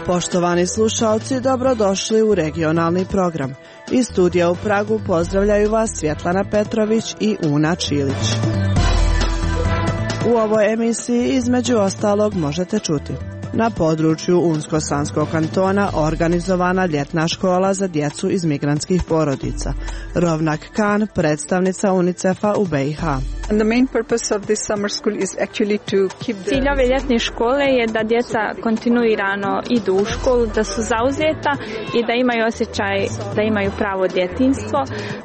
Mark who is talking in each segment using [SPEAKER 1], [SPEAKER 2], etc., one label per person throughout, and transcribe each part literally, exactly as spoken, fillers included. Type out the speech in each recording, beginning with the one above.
[SPEAKER 1] Poštovani slušalci, dobrodošli u regionalni program. Iz studija u Pragu pozdravljaju vas Svjetlana Petrović i Una Čilić. U ovoj emisiji između ostalog možete čuti: na području Unsko-Sanskog kantona organizovana ljetna škola za djecu iz migrantskih porodica. Rovnak Khan, predstavnica UNICEF-a u B i H.
[SPEAKER 2] Cilj ove ljetne škole je da djeca kontinuirano idu u školu, da su zauzeta i da imaju osjećaj da imaju pravo djetinjstvo.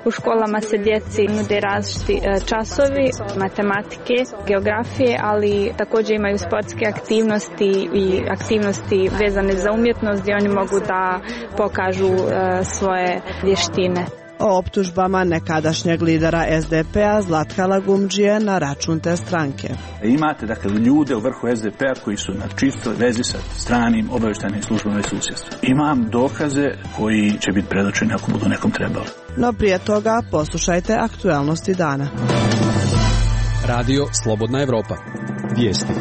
[SPEAKER 2] U školama se djeci nude različiti časovi matematike, geografije, ali također imaju sportske aktivnosti i aktivnosti vezane za umjetnost gdje oni mogu da pokažu svoje vještine.
[SPEAKER 1] O optužbama nekadašnjeg lidera S D P-a Zlatka Lagumdžije na račun te stranke.
[SPEAKER 3] Imate dakle ljude u vrhu S D P-a koji su na čistoj vezi sa stranim obavještajnim službama i susjedstvom. Imam dokaze koji će biti predočeni ako budu nekom trebali.
[SPEAKER 1] No prije toga poslušajte aktualnosti dana.
[SPEAKER 4] Radio Slobodna Evropa. Vijesti.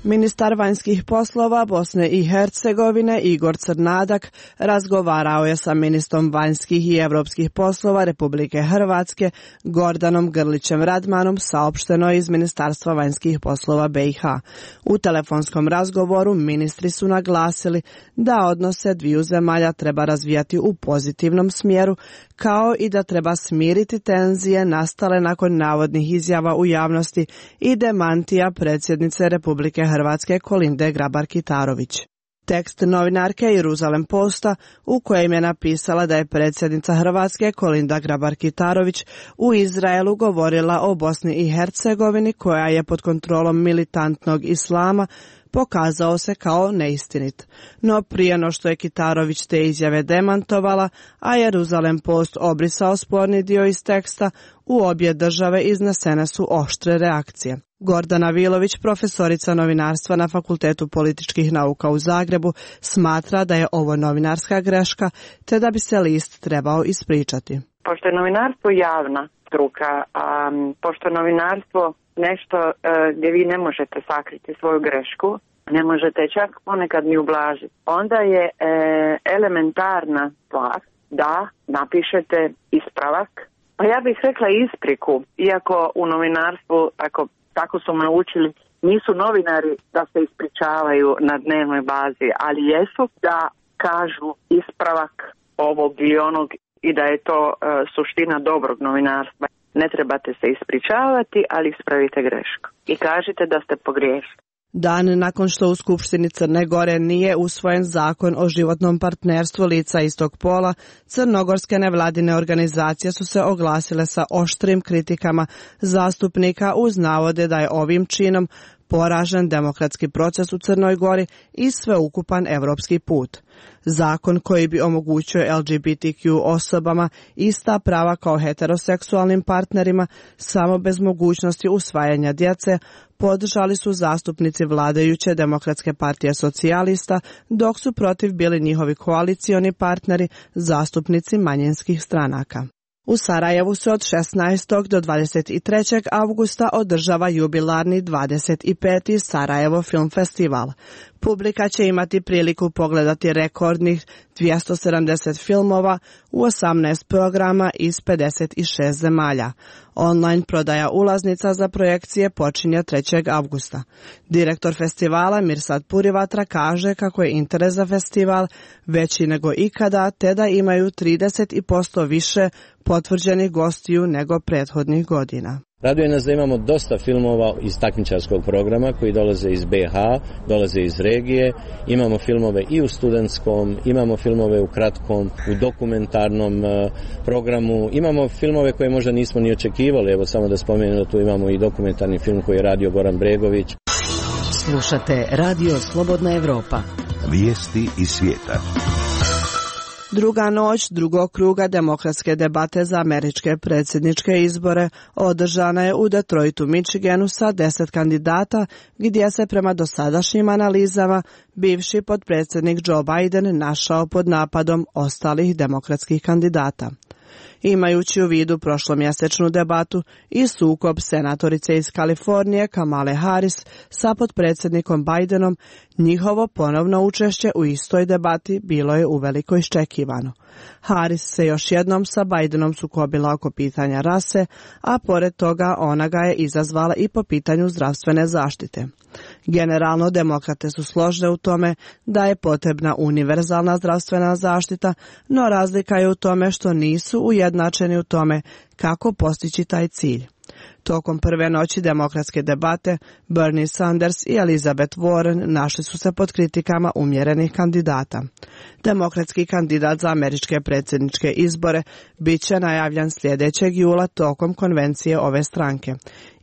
[SPEAKER 1] Ministar vanjskih poslova Bosne i Hercegovine Igor Crnadak razgovarao je sa ministrom vanjskih i europskih poslova Republike Hrvatske Gordanom Grlićem Radmanom, saopšteno iz Ministarstva vanjskih poslova B i H. U telefonskom razgovoru ministri su naglasili da odnose dviju zemalja treba razvijati u pozitivnom smjeru, kao i da treba smiriti tenzije nastale nakon navodnih izjava u javnosti i demantija predsjednice Republike Hrvatske Kolinde Grabar-Kitarović. Tekst novinarke Jeruzalem Posta, u kojem je napisala da je predsjednica Hrvatske Kolinda Grabar-Kitarović u Izraelu govorila o Bosni i Hercegovini koja je pod kontrolom militantnog islama, pokazao se kao neistinit. No prije no što je Kitarović te izjave demantovala, a Jeruzalem Post obrisao sporni dio iz teksta, u obje države iznesene su oštre reakcije. Gordana Vilović, profesorica novinarstva na Fakultetu političkih nauka u Zagrebu, smatra da je ovo novinarska greška, te da bi se list trebao ispričati.
[SPEAKER 5] Pošto je novinarstvo javna struka, a pošto je novinarstvo nešto e, gdje vi ne možete sakriti svoju grešku, ne možete čak ponekad ni ublažiti, onda je e, elementarna stvar da napišete ispravak. Pa ja bih rekla ispriku, iako u novinarstvu, ako tako su naučili, nisu novinari da se ispričavaju na dnevnoj bazi, ali jesu da kažu ispravak ovog ili onog i da je to e, suština dobrog novinarstva. Ne trebate se ispričavati, ali ispravite grešku i kažite da ste pogriješili.
[SPEAKER 1] Dan nakon što u Skupštini Crne Gore nije usvojen zakon o životnom partnerstvu lica istog pola, crnogorske nevladine organizacije su se oglasile sa oštrim kritikama zastupnika uz navode da je ovim činom poražen demokratski proces u Crnoj Gori i sveukupan evropski put. Zakon koji bi omogućio L G B T Q osobama ista prava kao heteroseksualnim partnerima, samo bez mogućnosti usvajanja djece, podržali su zastupnici vladajuće Demokratske partije socijalista, dok su protiv bili njihovi koalicioni partneri, zastupnici manjinskih stranaka. U Sarajevu se od šesnaestog do dvadeset trećeg avgusta održava jubilarni dvadeset peti Sarajevo Film Festival. Publika će imati priliku pogledati rekordnih dvjesto sedamdeset filmova u osamnaest programa iz pedeset šest zemalja. Online prodaja ulaznica za projekcije počinje trećeg avgusta. Direktor festivala Mirsad Purivatra kaže kako je interes za festival veći nego ikada, te da imaju trideset posto više potvrđenih gostiju nego prethodnih godina.
[SPEAKER 6] Raduje nas da imamo dosta filmova iz takmičarskog programa koji dolaze iz B H, dolaze iz regije. Imamo filmove i u studentskom, imamo filmove u kratkom, u dokumentarnom programu. Imamo filmove koje možda nismo ni očekivali. Evo samo da spomenem da tu imamo i dokumentarni film koji je radio Goran Bregović.
[SPEAKER 7] Slušate Radio Slobodna Evropa.
[SPEAKER 8] Vijesti iz svijeta.
[SPEAKER 1] Druga noć drugog kruga demokratske debate za američke predsjedničke izbore održana je u Detroitu, Michiganu sa deset kandidata, gdje se prema dosadašnjim analizama bivši potpredsjednik Joe Biden našao pod napadom ostalih demokratskih kandidata. Imajući u vidu prošlomjesečnu debatu i sukob senatorice iz Kalifornije Kamale Harris sa potpredsjednikom Bidenom, njihovo ponovno učešće u istoj debati bilo je uveliko iščekivano. Harris se još jednom sa Bidenom sukobila oko pitanja rase, a pored toga ona ga je izazvala i po pitanju zdravstvene zaštite. Generalno, demokrate su složne u tome da je potrebna univerzalna zdravstvena zaštita, no razlika je u tome što nisu ujednačeni u tome kako postići taj cilj. Tokom prve noći demokratske debate, Bernie Sanders i Elizabeth Warren našli su se pod kritikama umjerenih kandidata. Demokratski kandidat za američke predsjedničke izbore bit će najavljan sljedećeg jula tokom konvencije ove stranke.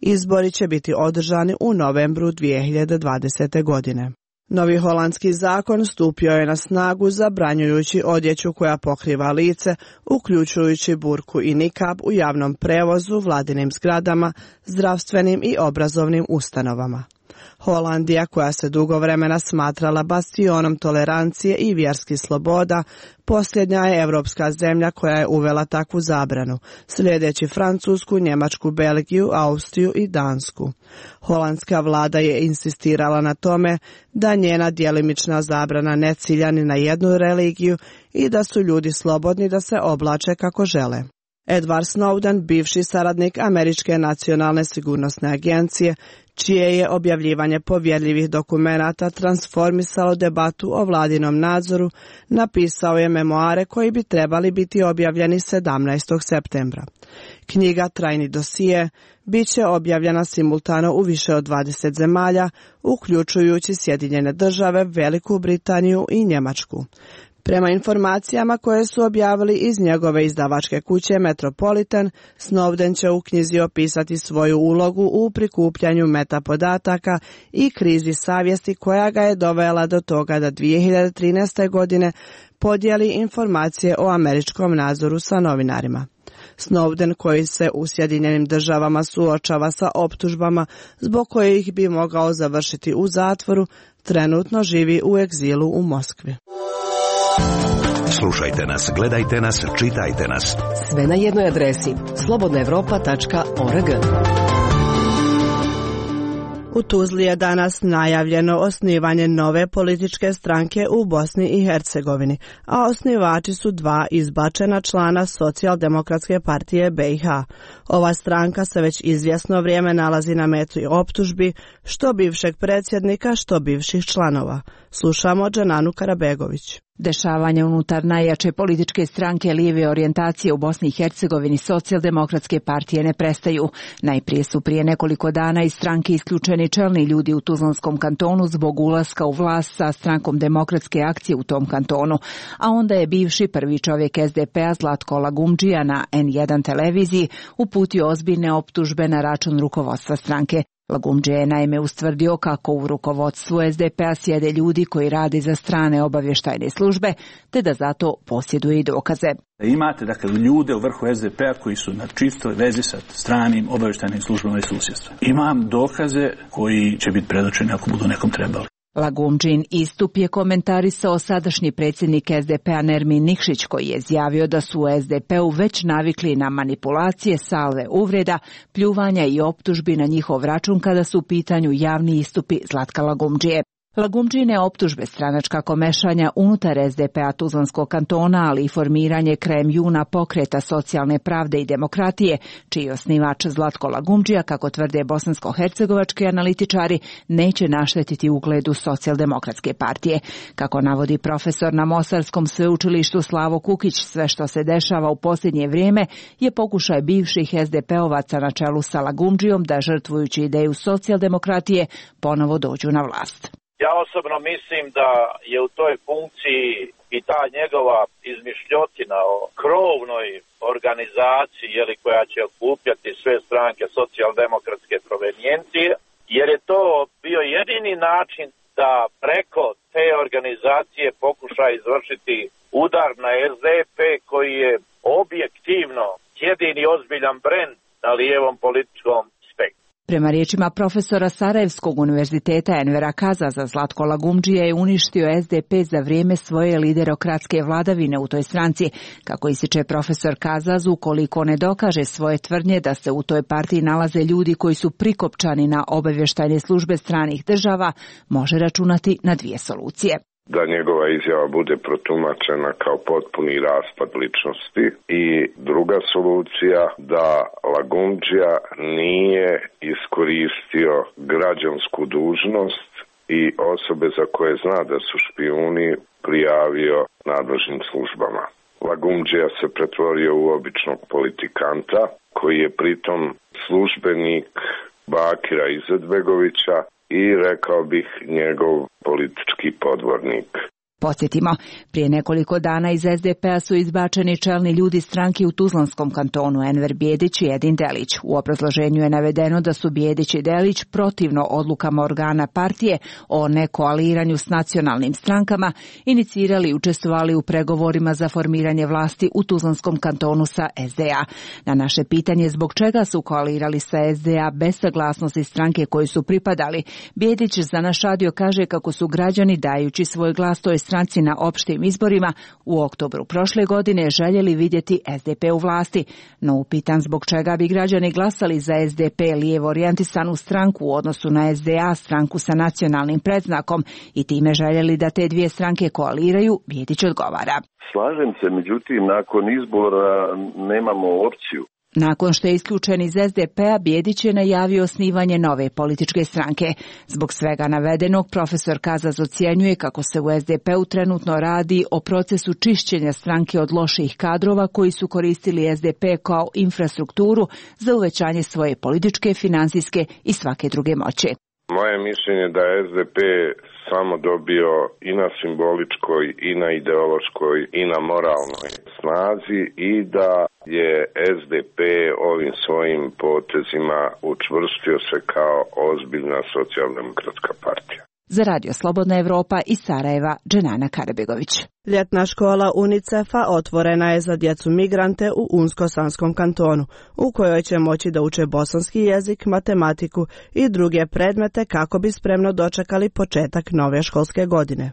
[SPEAKER 1] Izbori će biti održani u novembru dvije hiljade dvadesete. godine. Novi holandski zakon stupio je na snagu zabranjujući odjeću koja pokriva lice, uključujući burku i nikab u javnom prevozu, vladinim zgradama, zdravstvenim i obrazovnim ustanovama. Holandija, koja se dugo vremena smatrala bastionom tolerancije i vjerskih sloboda, posljednja je europska zemlja koja je uvela takvu zabranu, sljedeći Francusku, Njemačku, Belgiju, Austriju i Dansku. Holandska vlada je insistirala na tome da njena djelimična zabrana ne cilja ni na jednu religiju i da su ljudi slobodni da se oblače kako žele. Edward Snowden, bivši saradnik Američke nacionalne sigurnosne agencije, čije je objavljivanje povjerljivih dokumenata transformisalo debatu o vladinom nadzoru, napisao je memoare koji bi trebali biti objavljeni sedamnaestog septembra. Knjiga Trajni dosije bit će objavljena simultano u više od dvadeset zemalja, uključujući Sjedinjene države, Veliku Britaniju i Njemačku. Prema informacijama koje su objavili iz njegove izdavačke kuće Metropolitan, Snowden će u knjizi opisati svoju ulogu u prikupljanju metapodataka i krizi savjesti koja ga je dovela do toga da dvije hiljade trinaeste. godine podijeli informacije o američkom nadzoru sa novinarima. Snowden, koji se u Sjedinjenim državama suočava sa optužbama zbog kojih bi mogao završiti u zatvoru, trenutno živi u egzilu u Moskvi.
[SPEAKER 8] Slušajte nas, gledajte nas, čitajte nas.
[SPEAKER 7] Sve na jednoj adresi slobodna evropa tačka org.
[SPEAKER 1] U Tuzli je danas najavljeno osnivanje nove političke stranke u Bosni i Hercegovini, a osnivači su dva izbačena člana Socijaldemokratske partije B i H. Ova stranka se već izvjesno vrijeme nalazi na meti optužbi, što bivšeg predsjednika, što bivših članova. Slušamo Džananu Karabegović.
[SPEAKER 9] Dešavanja unutar najjače političke stranke lijeve orijentacije u Bosni i Hercegovini Socijaldemokratske partije ne prestaju. Najprije su prije nekoliko dana iz stranke isključeni čelni ljudi u Tuzlanskom kantonu zbog ulaska u vlast sa strankom Demokratske akcije u tom kantonu, a onda je bivši prvi čovjek S D P-a Zlatko Lagumdžija na N jedan televiziji uputio ozbiljne optužbe na račun rukovodstva stranke. Lagumdžija je naime ustvrdio kako u rukovodstvu S D P-a sjede ljudi koji rade za strane obavještajne službe, te da zato posjeduje i dokaze.
[SPEAKER 3] Imate dakle ljude u vrhu S D P-a koji su na čistoj vezi sa stranim obavještajnim službama i susjedstva. Imam dokaze koji će biti predočeni ako budu nekom trebali.
[SPEAKER 9] Lagumdžin istup je komentarisao sadašnji predsjednik S D P-a Nermin Nikšić, koji je izjavio da su u S D P-u već navikli na manipulacije, salve uvreda, pljuvanja i optužbi na njihov račun kada su u pitanju javni istupi Zlatka Lagumdžije. Lagumdžine optužbe, stranačka komešanja unutar S D P-a Tuzlanskog kantona, ali i formiranje krajem juna pokreta socijalne pravde i demokratije, čiji je osnivač Zlatko Lagumdžija, kako tvrde bosansko-hercegovački analitičari, neće naštetiti ugledu Socijaldemokratske partije. Kako navodi profesor na Mostarskom sveučilištu Slavo Kukić, sve što se dešava u posljednje vrijeme je pokušaj bivših S D P-ovaca na čelu sa Lagumdžijom da, žrtvujući ideju socijaldemokratije, ponovo dođu na vlast.
[SPEAKER 10] Ja osobno mislim da je u toj funkciji i ta njegova izmišljotina o krovnoj organizaciji, jeli, koja će okupljati sve stranke socijaldemokratske provenijencije, jer je to bio jedini način da preko te organizacije pokuša izvršiti udar na S D P, koji je objektivno jedini ozbiljan brend na lijevom političkom spektru.
[SPEAKER 9] Prema riječima profesora Sarajevskog univerziteta Envera Kazaza, Zlatko Lagumdžija je uništio es de pe za vrijeme svoje liderokratske vladavine u toj stranci. Kako ističe profesor Kazaz, ukoliko ne dokaže svoje tvrdnje da se u toj partiji nalaze ljudi koji su prikopčani na obavještajne službe stranih država, može računati na dvije solucije.
[SPEAKER 11] Da njegova izjava bude protumačena kao potpuni raspad ličnosti i druga solucija da Lagumdžija nije iskoristio građansku dužnost i osobe za koje zna da su špijuni prijavio nadležnim službama. Lagumdžija se pretvorio u običnog politikanta koji je pritom službenik Bakira Izetbegovića i rekao bih njegov politički podvornik.
[SPEAKER 9] Podsjetimo, prije nekoliko dana iz es de pe-a su izbačeni čelni ljudi stranke u Tuzlanskom kantonu Enver Bijedić i Edin Delić. U obrazloženju je navedeno da su Bijedić i Delić protivno odlukama organa partije o nekoaliranju s nacionalnim strankama inicirali i učestvovali u pregovorima za formiranje vlasti u Tuzlanskom kantonu sa es de a. Na naše pitanje zbog čega su koalirali sa es de a bez saglasnosti stranke koji su pripadali, Bijedić za naš radio kaže kako su građani dajući svoj glas toj stranci na opštim izborima u oktobru prošle godine željeli vidjeti es de pe u vlasti, no upitan zbog čega bi građani glasali za es de pe lijevo orijentisanu stranku u odnosu na es de a, stranku sa nacionalnim predznakom, i time željeli da te dvije stranke koaliraju, Bijedić odgovara.
[SPEAKER 12] Slažem se, međutim, nakon izbora nemamo opciju.
[SPEAKER 9] Nakon što je isključen iz es de pe-a, Bijedić je najavio osnivanje nove političke stranke. Zbog svega navedenog, profesor Kazaz ocjenjuje kako se u es de pe-u trenutno radi o procesu čišćenja stranke od loših kadrova koji su koristili es de pe kao infrastrukturu za uvećanje svoje političke, financijske i svake druge moći.
[SPEAKER 11] Moje mišljenje da je es de pe samo dobio i na simboličkoj, i na ideološkoj, i na moralnoj snazi i da je es de pe ovim svojim potezima učvrstio se kao ozbiljna socijaldemokratska partija.
[SPEAKER 9] Za Radio Slobodna Evropa iz Sarajeva, Dženana Karabegović.
[SPEAKER 1] Ljetna škola UNICEF-a otvorena je za djecu migrante u Unsko-Sanskom kantonu, u kojoj će moći da uče bosanski jezik, matematiku i druge predmete kako bi spremno dočekali početak nove školske godine.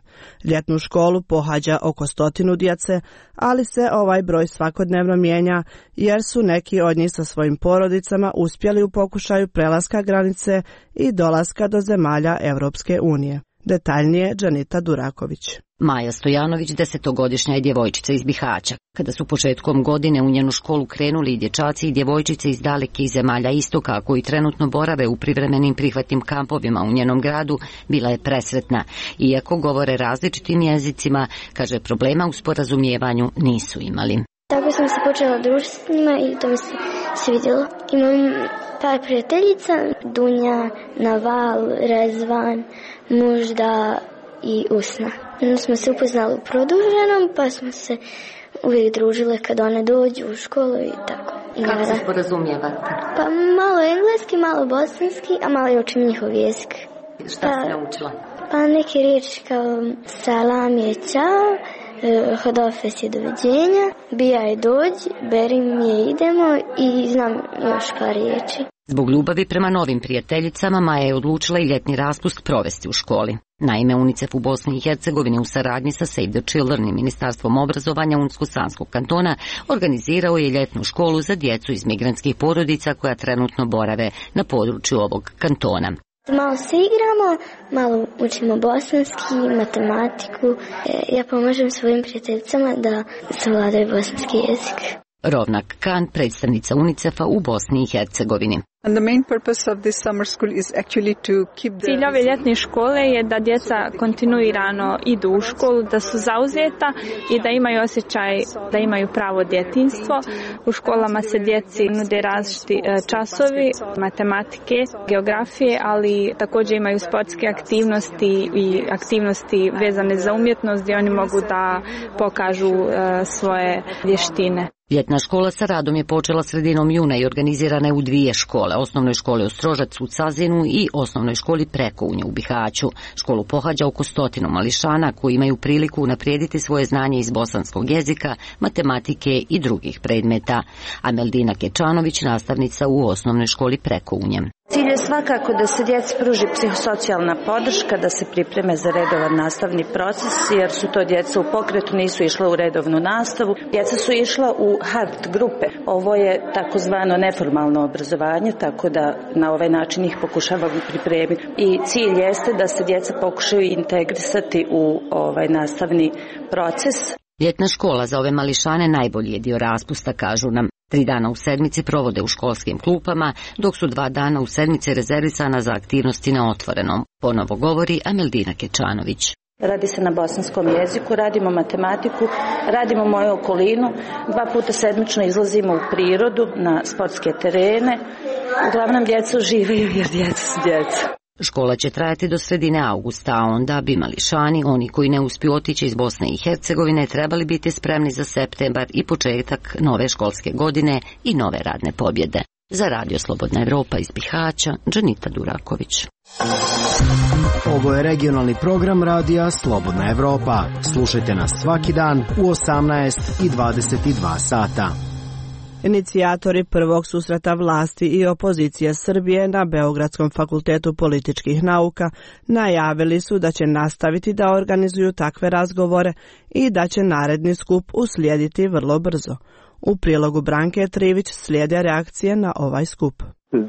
[SPEAKER 1] Ljetnu školu pohađa oko stotinu djece, ali se ovaj broj svakodnevno mijenja jer su neki od njih sa svojim porodicama uspjeli u pokušaju prelaska granice i dolaska do zemalja Europske unije. Detaljnije Džanita Duraković.
[SPEAKER 13] Maja Stojanović, desetogodišnja je djevojčica iz Bihaća. Kada su početkom godine u njenu školu krenuli i dječaci i djevojčice iz dalekih zemalja istoka koji trenutno borave u privremenim prihvatnim kampovima u njenom gradu, bila je presretna. Iako govore različitim jezicima, kaže, problema u sporazumijevanju nisu imali.
[SPEAKER 14] Tako sam se počela družiti s njima i to mi se svidjelo. Imam par prijateljica, Dunja, Naval, Rezvan, Možda i Usna. Onda smo se upoznali u produženom, pa smo se uvijek družile kad one dođu u školu i tako. I
[SPEAKER 13] kako nada. Se sporazumijevate?
[SPEAKER 14] Pa malo engleski, malo bosanski, a malo i učim njihov jezik.
[SPEAKER 13] Šta pa, si naučila?
[SPEAKER 14] Pa neke riječi kao salam je čao, hodofes je doviđenja, bijaj dođi, berim je idemo i znam još par riječi.
[SPEAKER 13] Zbog ljubavi prema novim prijateljicama, Maja je odlučila i ljetni raspust provesti u školi. Naime, UNICEF u Bosni i Hercegovini u saradnji sa Save the Children i Ministarstvom obrazovanja Unsko-Sanskog kantona organizirao je ljetnu školu za djecu iz migrantskih porodica koja trenutno borave na području ovog kantona.
[SPEAKER 14] Malo se igramo, malo učimo bosanski, matematiku. Ja pomažem svojim prijateljicama da savladaju bosanski jezik.
[SPEAKER 13] Rovnak Kan, predstavnica UNICEF-a u Bosni i Hercegovini.
[SPEAKER 2] Cilj ove ljetne škole je da djeca kontinuirano idu u školu, da su zauzeta i da imaju osjećaj da imaju pravo djetinjstvo. U školama se djeci nude različiti časovi matematike, geografije, ali također imaju sportske aktivnosti i aktivnosti vezane za umjetnost gdje oni mogu da pokažu svoje vještine.
[SPEAKER 13] Ljetna škola sa radom je počela sredinom juna i organizirana je u dvije škole, osnovnoj školi Ostrožac u Cazinu i osnovnoj školi Prekounje u Bihaću. Školu pohađa oko stotinu mališana koji imaju priliku unaprijediti svoje znanje iz bosanskog jezika, matematike i drugih predmeta. Ameldina Kečanović, nastavnica u osnovnoj školi Prekounje.
[SPEAKER 15] Cilj je Svakako da se djeci pruži psihosocijalna podrška, da se pripreme za redovan nastavni proces, jer su to djeca u pokretu, nisu išla u redovnu nastavu. Djeca su išla u hard grupe. Ovo je takozvano neformalno obrazovanje, tako da na ovaj način ih pokušavamo pripremiti. I cilj jeste da se djeca pokušaju integrisati u ovaj nastavni proces.
[SPEAKER 13] Ljetna škola za ove mališane najbolji je dio raspusta, kažu nam. Tri dana u sedmici provode u školskim klupama, dok su dva dana u sedmici rezervisana za aktivnosti na otvorenom. Ponovo govori Ameldina Kečanović.
[SPEAKER 15] Radi se na bosanskom jeziku, radimo matematiku, radimo moju okolinu, dva puta sedmično izlazimo u prirodu, na sportske terene. Uglavnom djeca uživaju jer djeca su djeca.
[SPEAKER 13] Škola će trajati do sredine avgusta, a onda bi mališani, oni koji ne uspiju otići iz Bosne i Hercegovine, trebali biti spremni za septembar i početak nove školske godine i nove radne pobjede. Za Radio Slobodna Evropa iz Bihaća, Džanita Duraković.
[SPEAKER 16] Ovo je regionalni program Radija Slobodna Evropa. Slušajte nas svaki dan u osamnaest i dvadeset dva sata.
[SPEAKER 1] Inicijatori prvog susreta vlasti i opozicije Srbije na Beogradskom fakultetu političkih nauka najavili su da će nastaviti da organizuju takve razgovore i da će naredni skup uslijediti vrlo brzo. U prilogu Branke Trivić slijede reakcije na ovaj skup.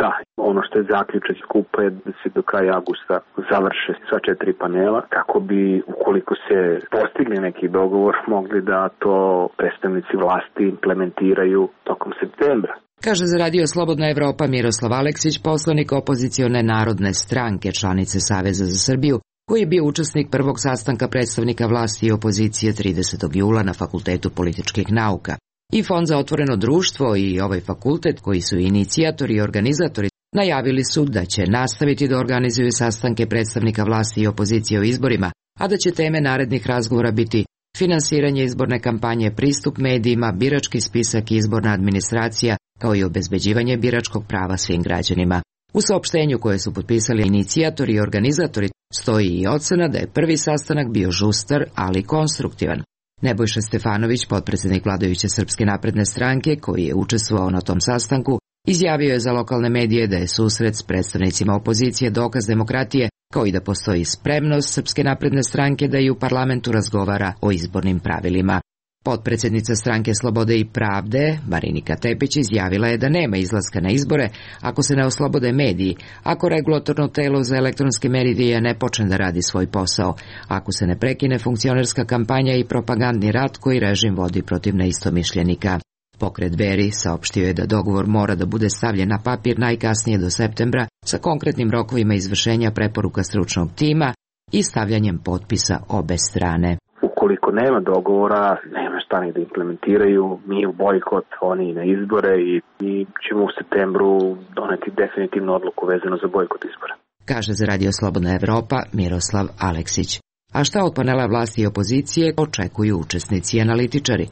[SPEAKER 17] Da, ono što je zaključak skupa je da se do kraja avgusta završe sva četiri panela, kako bi, ukoliko se postigli neki dogovor, mogli da to predstavnici vlasti implementiraju tokom septembra.
[SPEAKER 18] Kaže za Radio Slobodna Evropa Miroslav Aleksić, poslanik opozicione Narodne stranke, članice Saveza za Srbiju, koji je bio učesnik prvog sastanka predstavnika vlasti i opozicije tridesetog jula na Fakultetu političkih nauka. I Fond za otvoreno društvo i ovaj fakultet, koji su inicijatori i organizatori, najavili su da će nastaviti da organizuju sastanke predstavnika vlasti i opozicije o izborima, a da će teme narednih razgovora biti finansiranje izborne kampanje, pristup medijima, birački spisak i izborna administracija, kao i obezbeđivanje biračkog prava svim građanima. U saopštenju koje su potpisali inicijatori i organizatori stoji i ocena da je prvi sastanak bio žustar, ali konstruktivan. Nebojša Stefanović, potpredsjednik vladajuće Srpske napredne stranke, koji je učestvovao na tom sastanku, izjavio je za lokalne medije da je susret s predstavnicima opozicije dokaz demokratije, kao i da postoji spremnost Srpske napredne stranke da i u parlamentu razgovara o izbornim pravilima. Potpredsjednica stranke Slobode i pravde, Marinika Tepić, izjavila je da nema izlaska na izbore ako se ne oslobode mediji, ako regulatorno telo za elektronske medije ne počne da radi svoj posao, ako se ne prekine funkcionerska kampanja i propagandni rat koji režim vodi protiv neistomišljenika. Pokret Beri saopštio je da dogovor mora da bude stavljen na papir najkasnije do septembra sa konkretnim rokovima izvršenja preporuka stručnog tima i stavljanjem potpisa obe strane.
[SPEAKER 17] Ukoliko nema dogovora, nema šta ni da implementiraju, mi u bojkot, oni na izbore i mi ćemo u septembru doneti definitivnu odluku vezano za bojkot izbora.
[SPEAKER 18] Kaže za Radio Slobodna Evropa Miroslav Aleksić. A šta od panela vlasti i opozicije očekuju učesnici i analitičari?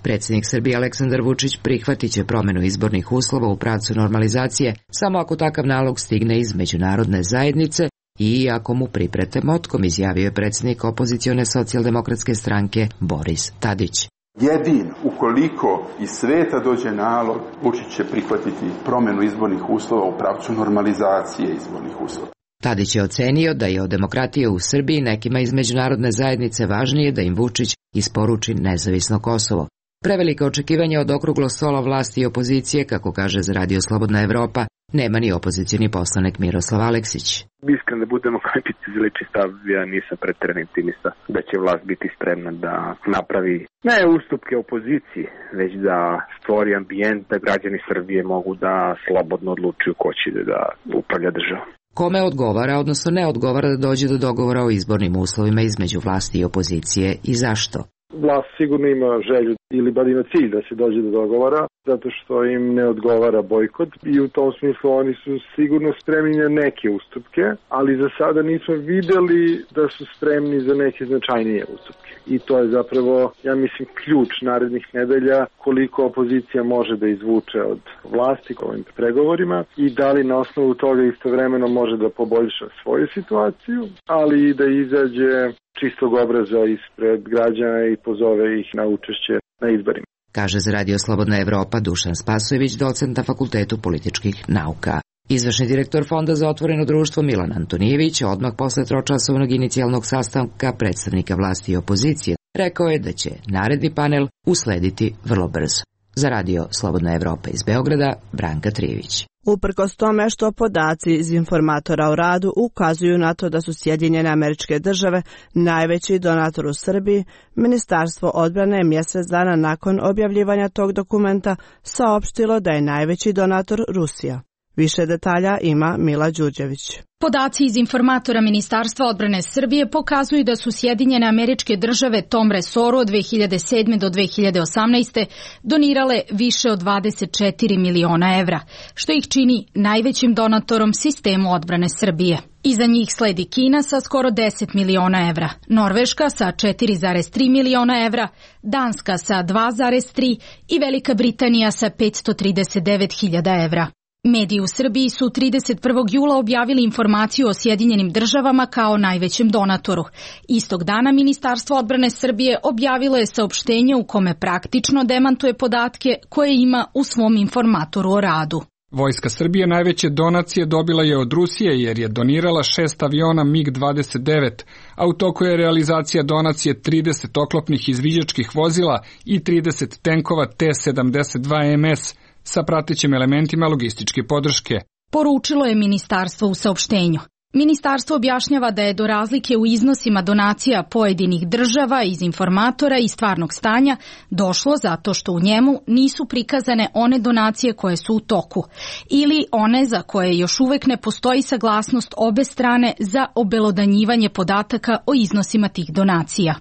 [SPEAKER 18] Predsjednik Srbije Aleksandar Vučić prihvatit će promjenu izbornih uslova u pravcu normalizacije samo ako takav nalog stigne iz međunarodne zajednice i ako mu priprete motkom, izjavio je predsjednik opozicione socijaldemokratske stranke Boris Tadić.
[SPEAKER 19] Jedin, ukoliko iz sveta dođe nalog, Vučić će prihvatiti promjenu izbornih uslova u pravcu normalizacije izbornih uslova.
[SPEAKER 18] Tadić je ocenio da je od demokratije u Srbiji nekima iz međunarodne zajednice važnije da im Vučić isporuči nezavisno Kosovo. Prevelika očekivanja od okruglog stola vlasti i opozicije, kako kaže za Radio Slobodna Evropa, nema ni opozicioni poslanik Miroslav Aleksić.
[SPEAKER 17] Iskren da budemo kajpici za lični stav, ja nisam pretjerani optimista da će vlast biti spremna da napravi ne ustupke opoziciji, već da stvori ambijent da građani Srbije mogu da slobodno odlučuju ko će da upravlja državom.
[SPEAKER 18] Kome odgovara, odnosno ne odgovara da dođe do dogovora o izbornim uslovima između vlasti i opozicije i zašto?
[SPEAKER 20] Vlast sigurno ima želju ili bar ima cilj da se dođe do dogovora, zato što im ne odgovara bojkot i u tom smislu oni su sigurno spremni na neke ustupke, ali za sada nismo videli da su spremni za neke značajnije ustupke. I to je zapravo, ja mislim, ključ narednih nedelja koliko opozicija može da izvuče od vlasti ovim pregovorima i da li na osnovu toga istovremeno može da poboljša svoju situaciju, ali i da izađe čistog obraza ispred građana i pozove ih na učešće na izborima.
[SPEAKER 18] Kaže za Radio Slobodna Evropa Dušan Spasojević, docent na Fakultetu političkih nauka. Izvršni direktor Fonda za otvoreno društvo Milan Antonijević odmah posle tročasovnog inicijalnog sastanka predstavnika vlasti i opozicije rekao je da će naredni panel uslediti vrlo brzo. Za radio Slobodna Evropa iz Beograda, Branka Trijević.
[SPEAKER 1] Uprkos tome što podaci iz informatora o radu ukazuju na to da su Sjedinjene Američke Države najveći donator u Srbiji, Ministarstvo odbrane je mjesec dana nakon objavljivanja tog dokumenta saopštilo da je najveći donator Rusija. Više detalja ima Mila Đurđević.
[SPEAKER 21] Podaci iz informatora Ministarstva odbrane Srbije pokazuju da su Sjedinjene Američke Države tom resoru od dve hiljade sedme do dve hiljade osamnaeste. donirale više od dvadeset četiri miliona evra, što ih čini najvećim donatorom sistemu odbrane Srbije. Iza njih sledi Kina sa skoro deset miliona evra, Norveška sa četiri zarez tri miliona evra, Danska sa dva zarez tri i Velika Britanija sa petsto trideset devet hiljada evra. Mediji u Srbiji su trideset prvog jula objavili informaciju o Sjedinjenim Državama kao najvećem donatoru. Istog dana Ministarstvo odbrane Srbije objavilo je saopštenje u kome praktično demantuje podatke koje ima u svom informatoru o radu.
[SPEAKER 22] Vojska Srbije najveće donacije dobila je od Rusije jer je donirala šest aviona mig dvadeset devet, a u toku je realizacija donacije trideset oklopnih izviđačkih vozila i trideset tenkova T sedamdeset dva M S, sa pratećim elementima logističke podrške.
[SPEAKER 21] Poručilo je ministarstvo u saopštenju. Ministarstvo objašnjava da je do razlike u iznosima donacija pojedinih država iz informatora i stvarnog stanja došlo zato što u njemu nisu prikazane one donacije koje su u toku ili one za koje još uvek ne postoji saglasnost obe strane za obelodanjivanje podataka o iznosima tih donacija.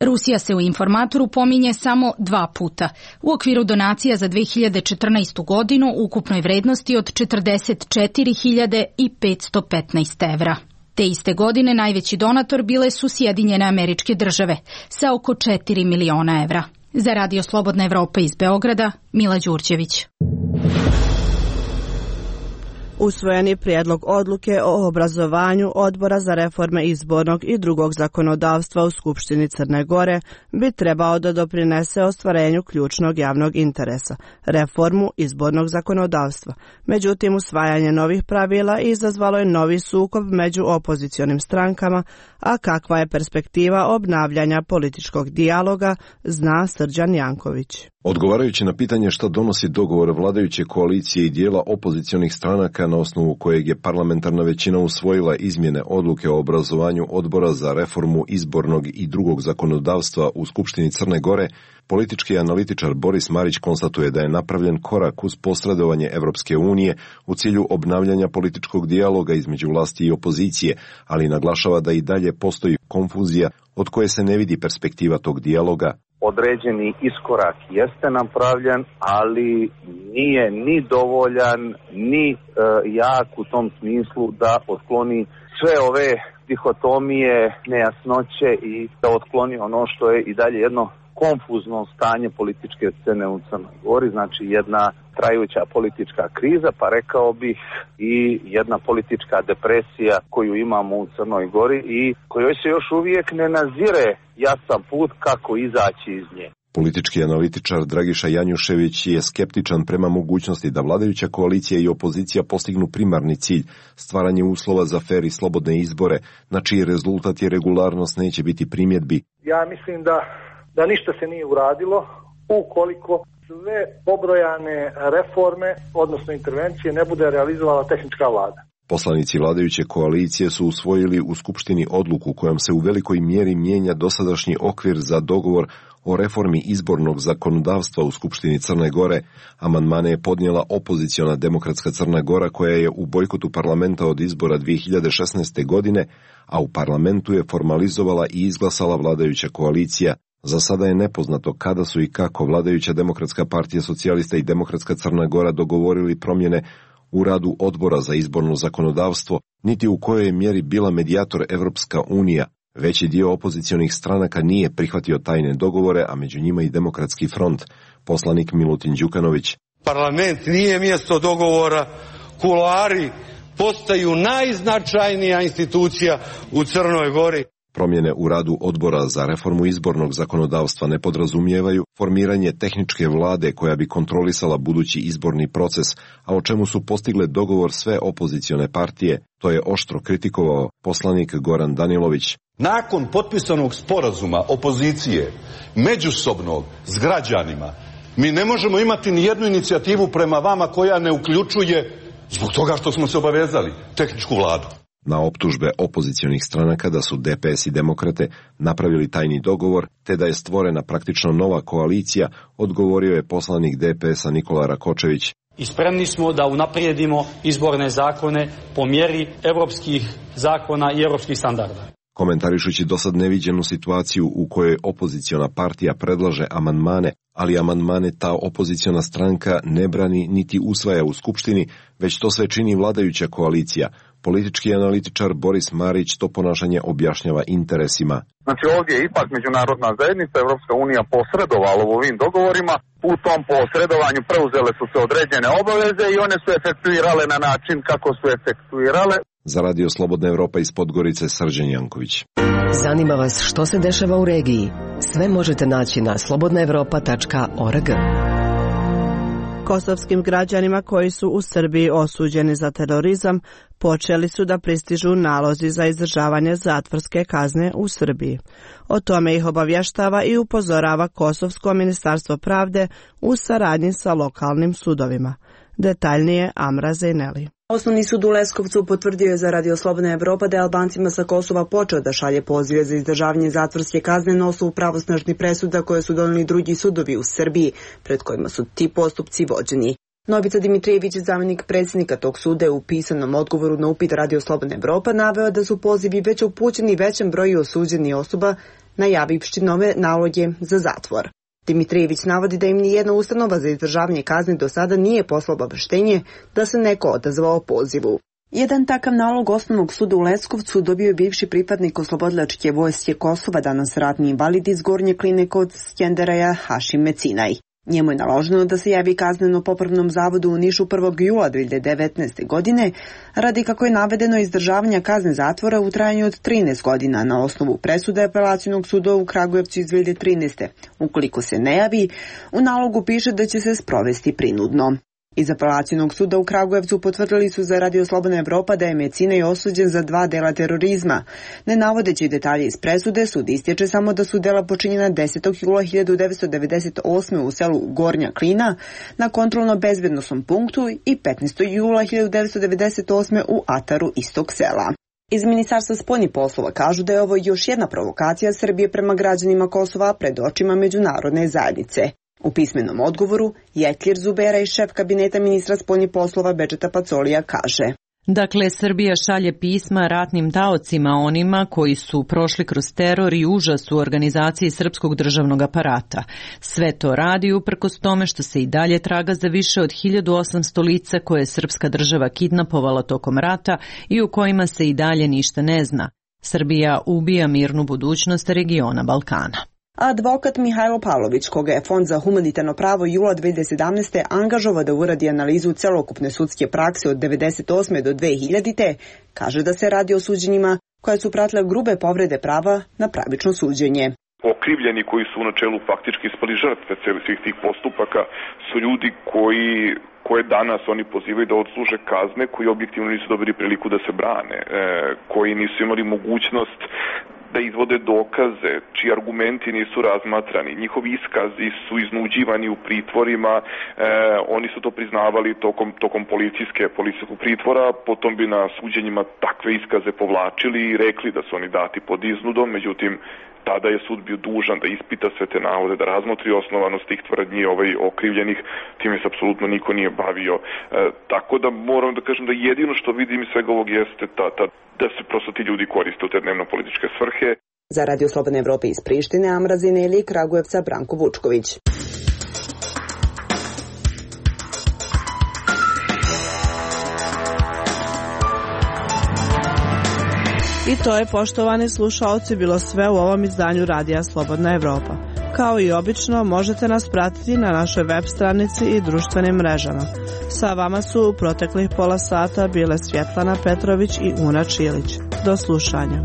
[SPEAKER 21] Rusija se u informatoru pominje samo dva puta, u okviru donacija za dve hiljade četrnaestu. godinu u ukupnoj vrednosti od četrdeset četiri hiljade petsto petnaest evra. Te iste godine najveći donator bile su Sjedinjene Američke Države sa oko četiri miliona evra. Za radio Slobodna Evropa iz Beograda, Mila Đurđević.
[SPEAKER 1] Usvojeni prijedlog odluke o obrazovanju Odbora za reforme izbornog i drugog zakonodavstva u Skupštini Crne Gore bi trebao da doprinese ostvarenju ključnog javnog interesa, reformu izbornog zakonodavstva. Međutim, usvajanje novih pravila izazvalo je novi sukob među opozicionim strankama, a kakva je perspektiva obnavljanja političkog dijaloga, zna Srđan Janković.
[SPEAKER 23] Odgovarajući na pitanje šta donosi dogovor vladajuće koalicije i dijela opozicionih stranaka na osnovu kojeg je parlamentarna većina usvojila izmjene odluke o obrazovanju Odbora za reformu izbornog i drugog zakonodavstva u Skupštini Crne Gore, politički analitičar Boris Marić konstatuje da je napravljen korak uz posredovanje Evropske unije u cilju obnavljanja političkog dijaloga između vlasti i opozicije, ali naglašava da i dalje postoji konfuzija od koje se ne vidi perspektiva tog dijaloga.
[SPEAKER 24] Određeni iskorak jeste napravljen, ali nije ni dovoljan, ni e, jak u tom smislu da otkloni sve ove dihotomije, nejasnoće i da otkloni ono što je i dalje jedno konfuzno stanje političke scene u Crnoj Gori, znači jedna trajuća politička kriza, pa rekao bih i jedna politička depresija koju imamo u Crnoj Gori i kojoj se još uvijek ne nazire jasan put kako izaći iz nje.
[SPEAKER 23] Politički analitičar Dragiša Janjušević je skeptičan prema mogućnosti da vladajuća koalicija i opozicija postignu primarni cilj, stvaranje uslova za fer i slobodne izbore, na čiji rezultat i regularnost neće biti primjedbi.
[SPEAKER 25] Ja mislim da da ništa se nije uradilo ukoliko sve pobrojane reforme, odnosno intervencije, ne bude realizovala tehnička vlada.
[SPEAKER 23] Poslanici vladajuće koalicije su usvojili u Skupštini odluku kojom se u velikoj mjeri mijenja dosadašnji okvir za dogovor o reformi izbornog zakonodavstva u Skupštini Crne Gore. Amandmane je podnijela opoziciona Demokratska Crna Gora koja je u bojkotu parlamenta od izbora dvije hiljade šesnaeste. godine, a u parlamentu je formalizovala i izglasala vladajuća koalicija. Za sada je nepoznato kada su i kako vladajuća Demokratska partija socijalista i Demokratska Crna Gora dogovorili promjene u radu Odbora za izborno zakonodavstvo, niti u kojoj je mjeri bila medijator Evropska unija. Veći dio opozicionih stranaka nije prihvatio tajne dogovore, a među njima i Demokratski front. Poslanik Milutin Đukanović.
[SPEAKER 26] Parlament nije mjesto dogovora, kuloari postaju najznačajnija institucija u Crnoj Gori.
[SPEAKER 23] Promjene u radu odbora za reformu izbornog zakonodavstva ne podrazumijevaju formiranje tehničke vlade koja bi kontrolisala budući izborni proces, a o čemu su postigle dogovor sve opozicione partije. To je oštro kritikovao poslanik Goran Danilović.
[SPEAKER 3] Nakon potpisanog sporazuma opozicije, međusobnog, s građanima, mi ne možemo imati ni jednu inicijativu prema vama koja ne uključuje, zbog toga što smo se obavezali, tehničku vladu.
[SPEAKER 23] Na optužbe opozicionih stranaka da su D P S i Demokrate napravili tajni dogovor, te da je stvorena praktično nova koalicija, odgovorio je poslanik D P S-a Nikola Rakočević.
[SPEAKER 4] I spremni smo da unaprijedimo izborne zakone po mjeri evropskih zakona i evropskih standarda.
[SPEAKER 23] Komentarišući dosad neviđenu situaciju u kojoj opoziciona partija predlaže amandmane, ali amandmane ta opoziciona stranka ne brani niti usvaja u Skupštini, već to sve čini vladajuća koalicija. Politički analitičar Boris Marić to ponašanje objašnjava interesima.
[SPEAKER 24] Znači ovdje je ipak međunarodna zajednica, Evropska unija posredovala u ovim dogovorima, u tom posredovanju preuzele su se određene obaveze i one su efektuirale na način kako su efektuirale.
[SPEAKER 23] Za Radio Slobodna Evropa iz Podgorice, Srđan Janković.
[SPEAKER 5] Zanima vas što se dešava u regiji? Sve možete naći na slobodna evropa tačka org.
[SPEAKER 1] Kosovskim građanima koji su u Srbiji osuđeni za terorizam počeli su da pristižu nalozi za izdržavanje zatvorske kazne u Srbiji. O tome ih obavještava i upozorava Kosovsko ministarstvo pravde u saradnji sa lokalnim sudovima. Detaljnije Amra Zejneli.
[SPEAKER 6] Osnovni sud u Leskovcu potvrdio je za Radio Slobodna Evropa da je Albancima sa Kosova počeo da šalje pozive za izdržavanje zatvorske kazne na osnovu pravosnažnih presuda koje su doneli drugi sudovi u Srbiji, pred kojima su ti postupci vođeni. Novica Dimitrijević, zamjenik predsjednika tog suda, je u pisanom odgovoru na upit Radio Slobodna Evropa naveo da su pozivi već upućeni većem broju osuđenih osoba, najavivši nove naloge za zatvor. Dimitrijević navodi da im nijedna ustanova za izdržavanje kazne do sada nije poslala obaveštenje da se neko odazvao pozivu. Jedan takav nalog Osnovnog suda u Leskovcu dobio je bivši pripadnik Oslobodilačke vojske Kosova, danas ratni invalid iz Gornje Kline kod Skenderaja, Hašim Mecinaj. Njemu je naloženo da se javi kazneno-popravnom zavodu u Nišu prvog jula dve hiljade devetnaeste. godine, radi kako je navedeno izdržavanja kazne zatvora u trajanju od trinaest godina na osnovu presude Apelacionog suda u Kragujevcu iz dve hiljade trinaeste. Ukoliko se ne javi, u nalogu piše da će se sprovesti prinudno. Iz Apelacionog suda u Kragujevcu potvrdili su za Radio Slobodna Evropa da je Mecinaj osuđen za dva dela terorizma. Ne navodeći detalje iz presude, sud istječe samo da su dela počinjena desetog jula hiljadu devetsto devedeset osme. u selu Gornja Klina na kontrolno-bezbednosnom punktu i petnaestog jula hiljadu devetsto devedeset osme. u Ataru istog sela. Iz Ministarstva spoljnih poslova kažu da je ovo još jedna provokacija Srbije prema građanima Kosova pred očima međunarodne zajednice. U pismenom odgovoru Jetlir Zubera i šef kabineta ministra spoljnih poslova Bedžeta Pacolija kaže:
[SPEAKER 7] Dakle, Srbija šalje pisma ratnim taocima, onima koji su prošli kroz teror i užas u organizaciji srpskog državnog aparata. Sve to radi uprkos tome što se i dalje traga za više od hiljadu osamsto lica koje je srpska država kidnapovala tokom rata i u kojima se i dalje ništa ne zna. Srbija ubija mirnu budućnost regiona Balkana.
[SPEAKER 6] Advokat Mihajlo Pavlović, koga je Fond za humanitarno pravo jula dve hiljade sedamnaeste. angažovao da uradi analizu celokupne sudske prakse od devedeset osme. do dve hiljadite. kaže da se radi o suđenjima koja su pratile grube povrede prava na pravično suđenje.
[SPEAKER 8] Okrivljeni koji su u načelu faktički ispali žrtve svih tih postupaka su ljudi koji koje danas oni pozivaju da odsluže kazne, koji objektivno nisu dobili priliku da se brane, e, koji nisu imali mogućnost da izvode dokaze, čiji argumenti nisu razmatrani, njihovi iskazi su iznuđivani u pritvorima, e, oni su to priznavali tokom, tokom policijske, policijskog pritvora, potom bi na suđenjima takve iskaze povlačili i rekli da su oni dati pod iznudom, međutim, tada je sud bio dužan da ispita sve te navode, da razmotri osnovanost tih tvrdnji ovaj, okrivljenih, time se apsolutno niko nije bavio. E, tako da moram da kažem da jedino što vidim iz svega ovog jeste ta, ta, da se prosto ti ljudi koriste u te dnevno-političke svrhe.
[SPEAKER 6] Za Radio Slobodne Evrope iz Prištine, Amra Zineli, Kragujevca, Branko Vučković.
[SPEAKER 1] I to je, poštovani slušaoci, bilo sve u ovom izdanju Radija Slobodna Evropa. Kao i obično, možete nas pratiti na našoj web stranici i društvenim mrežama. Sa vama su u proteklih pola sata bile Svjetlana Petrović i Una Čilić. Do slušanja.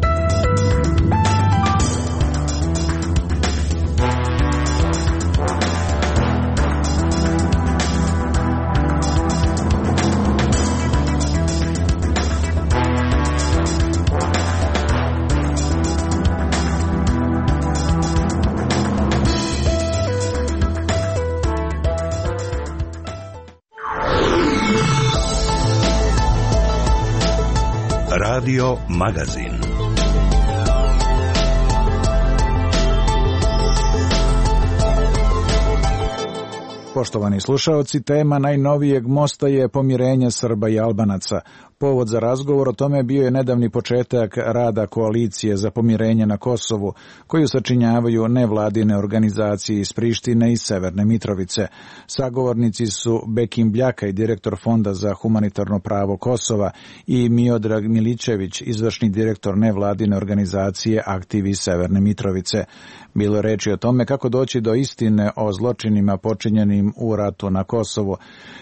[SPEAKER 2] Radio Magazin.
[SPEAKER 9] Poštovani slušaoci, tema najnovijeg mosta je pomirenje Srba i Albanaca. Povod za razgovor o tome bio je nedavni početak rada koalicije za pomirenje na Kosovu, koju sačinjavaju nevladine organizacije iz Prištine i Severne Mitrovice. Sagovornici su Bekim Bljaka, direktor Fonda za humanitarno pravo Kosova, i Miodrag Milićević, izvršni direktor nevladine organizacije Aktiv iz Severne Mitrovice. Bilo je reči o tome kako doći do istine o zločinima počinjenim u ratu na Kosovu,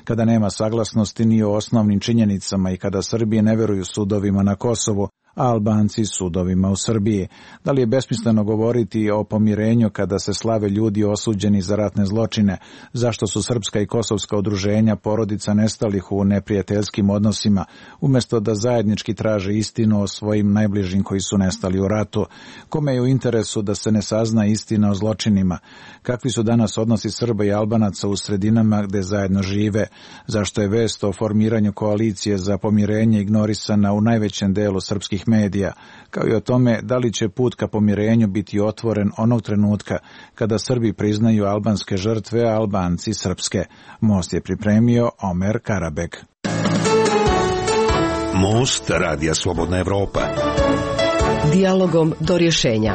[SPEAKER 9] kada nema saglasnosti ni o osnovnim činjenicama i kada Srbije ne veruju sudovima na Kosovu, a Albanci sudovima u Srbiji. Da li je besmisleno govoriti o pomirenju kada se slave ljudi osuđeni za ratne zločine? Zašto su srpska i kosovska udruženja porodica nestalih u neprijateljskim odnosima, umjesto da zajednički traže istinu o svojim najbližim koji su nestali u ratu? Kome je u interesu da se ne sazna istina o zločinima? Kakvi su danas odnosi Srba i Albanaca u sredinama gde zajedno žive? Zašto je vest o formiranju koalicije za pomirenje ignorisana u najvećem delu srpskih medija, kao i o tome da li će put ka pomirenju biti otvoren onog trenutka kada Srbi priznaju albanske žrtve, a Albanci srpske? Most je pripremio Omer Karabek.
[SPEAKER 2] Most Radija Slobodna Evropa.
[SPEAKER 5] Dijalogom do rješenja.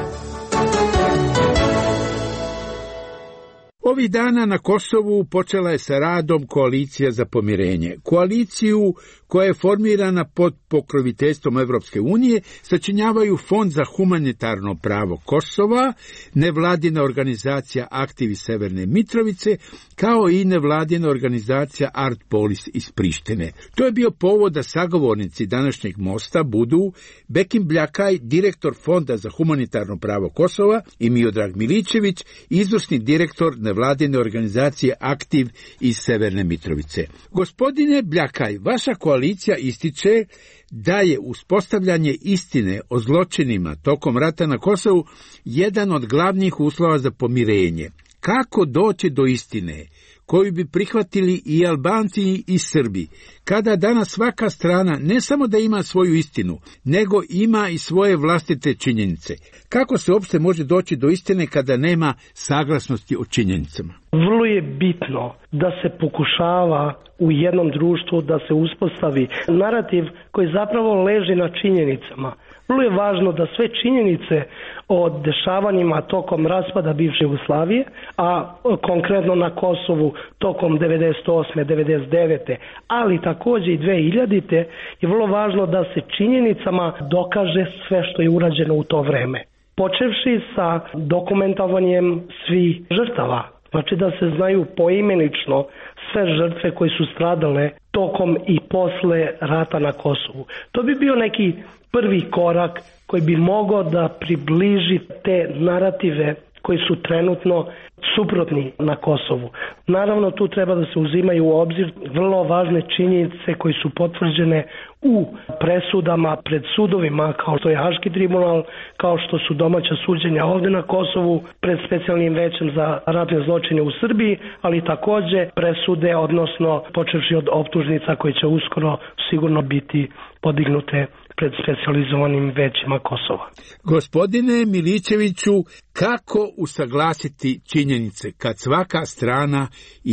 [SPEAKER 10] Ovih dana na Kosovu počela je sa radom koalicija za pomirenje. Koaliciju koja je formirana pod pokroviteljstvom Evropske unije sačinjavaju Fond za humanitarno pravo Kosova, nevladina organizacija Aktiv iz Severne Mitrovice, kao i nevladina organizacija Art Polis iz Prištine. To je bio povod da sagovornici današnjeg mosta budu Bekim Bljakaj, direktor Fonda za humanitarno pravo Kosova, i Miodrag Milićević, izvršni direktor nevladine organizacije Aktiv iz Severne Mitrovice. Gospodine Bljakaj, vaša koalicija ističe da je uspostavljanje istine o zločinima tokom rata na Kosovu jedan od glavnih uslova za pomirenje. Kako doći do istine koju bi prihvatili i Albanci i Srbi, kada danas svaka strana ne samo da ima svoju istinu, nego ima i svoje vlastite činjenice? Kako se uopšte može doći do istine kada nema saglasnosti o činjenicama?
[SPEAKER 11] Vrlo je bitno da se pokušava u jednom društvu da se uspostavi narativ koji zapravo leži na činjenicama. Vrlo je važno da sve činjenice o dešavanjima tokom raspada bivše Jugoslavije, a konkretno na Kosovu tokom devedeset osme devedeset devete ali također i dve hiljadite je vrlo važno da se činjenicama dokaže sve što je urađeno u to vreme. Počevši sa dokumentovanjem svih žrtava, znači da se znaju poimenično sve žrtve koje su stradale tokom i posle rata na Kosovu. To bi bio neki prvi korak koji bi mogao da približi te narative koji su trenutno suprotni na Kosovu. Naravno, tu treba da se uzimaju u obzir vrlo važne činjenice koje su potvrđene u presudama pred sudovima, kao što je Haški tribunal, kao što su domaća suđenja ovdje na Kosovu pred specijalnim većem za ratne zločine u Srbiji, ali također presude, odnosno počevši od optužnica koje će uskoro sigurno biti podignute pred specijalizovanim većima Kosova.
[SPEAKER 10] Gospodine Milićeviću, kako usaglasiti činjenice kad svaka strana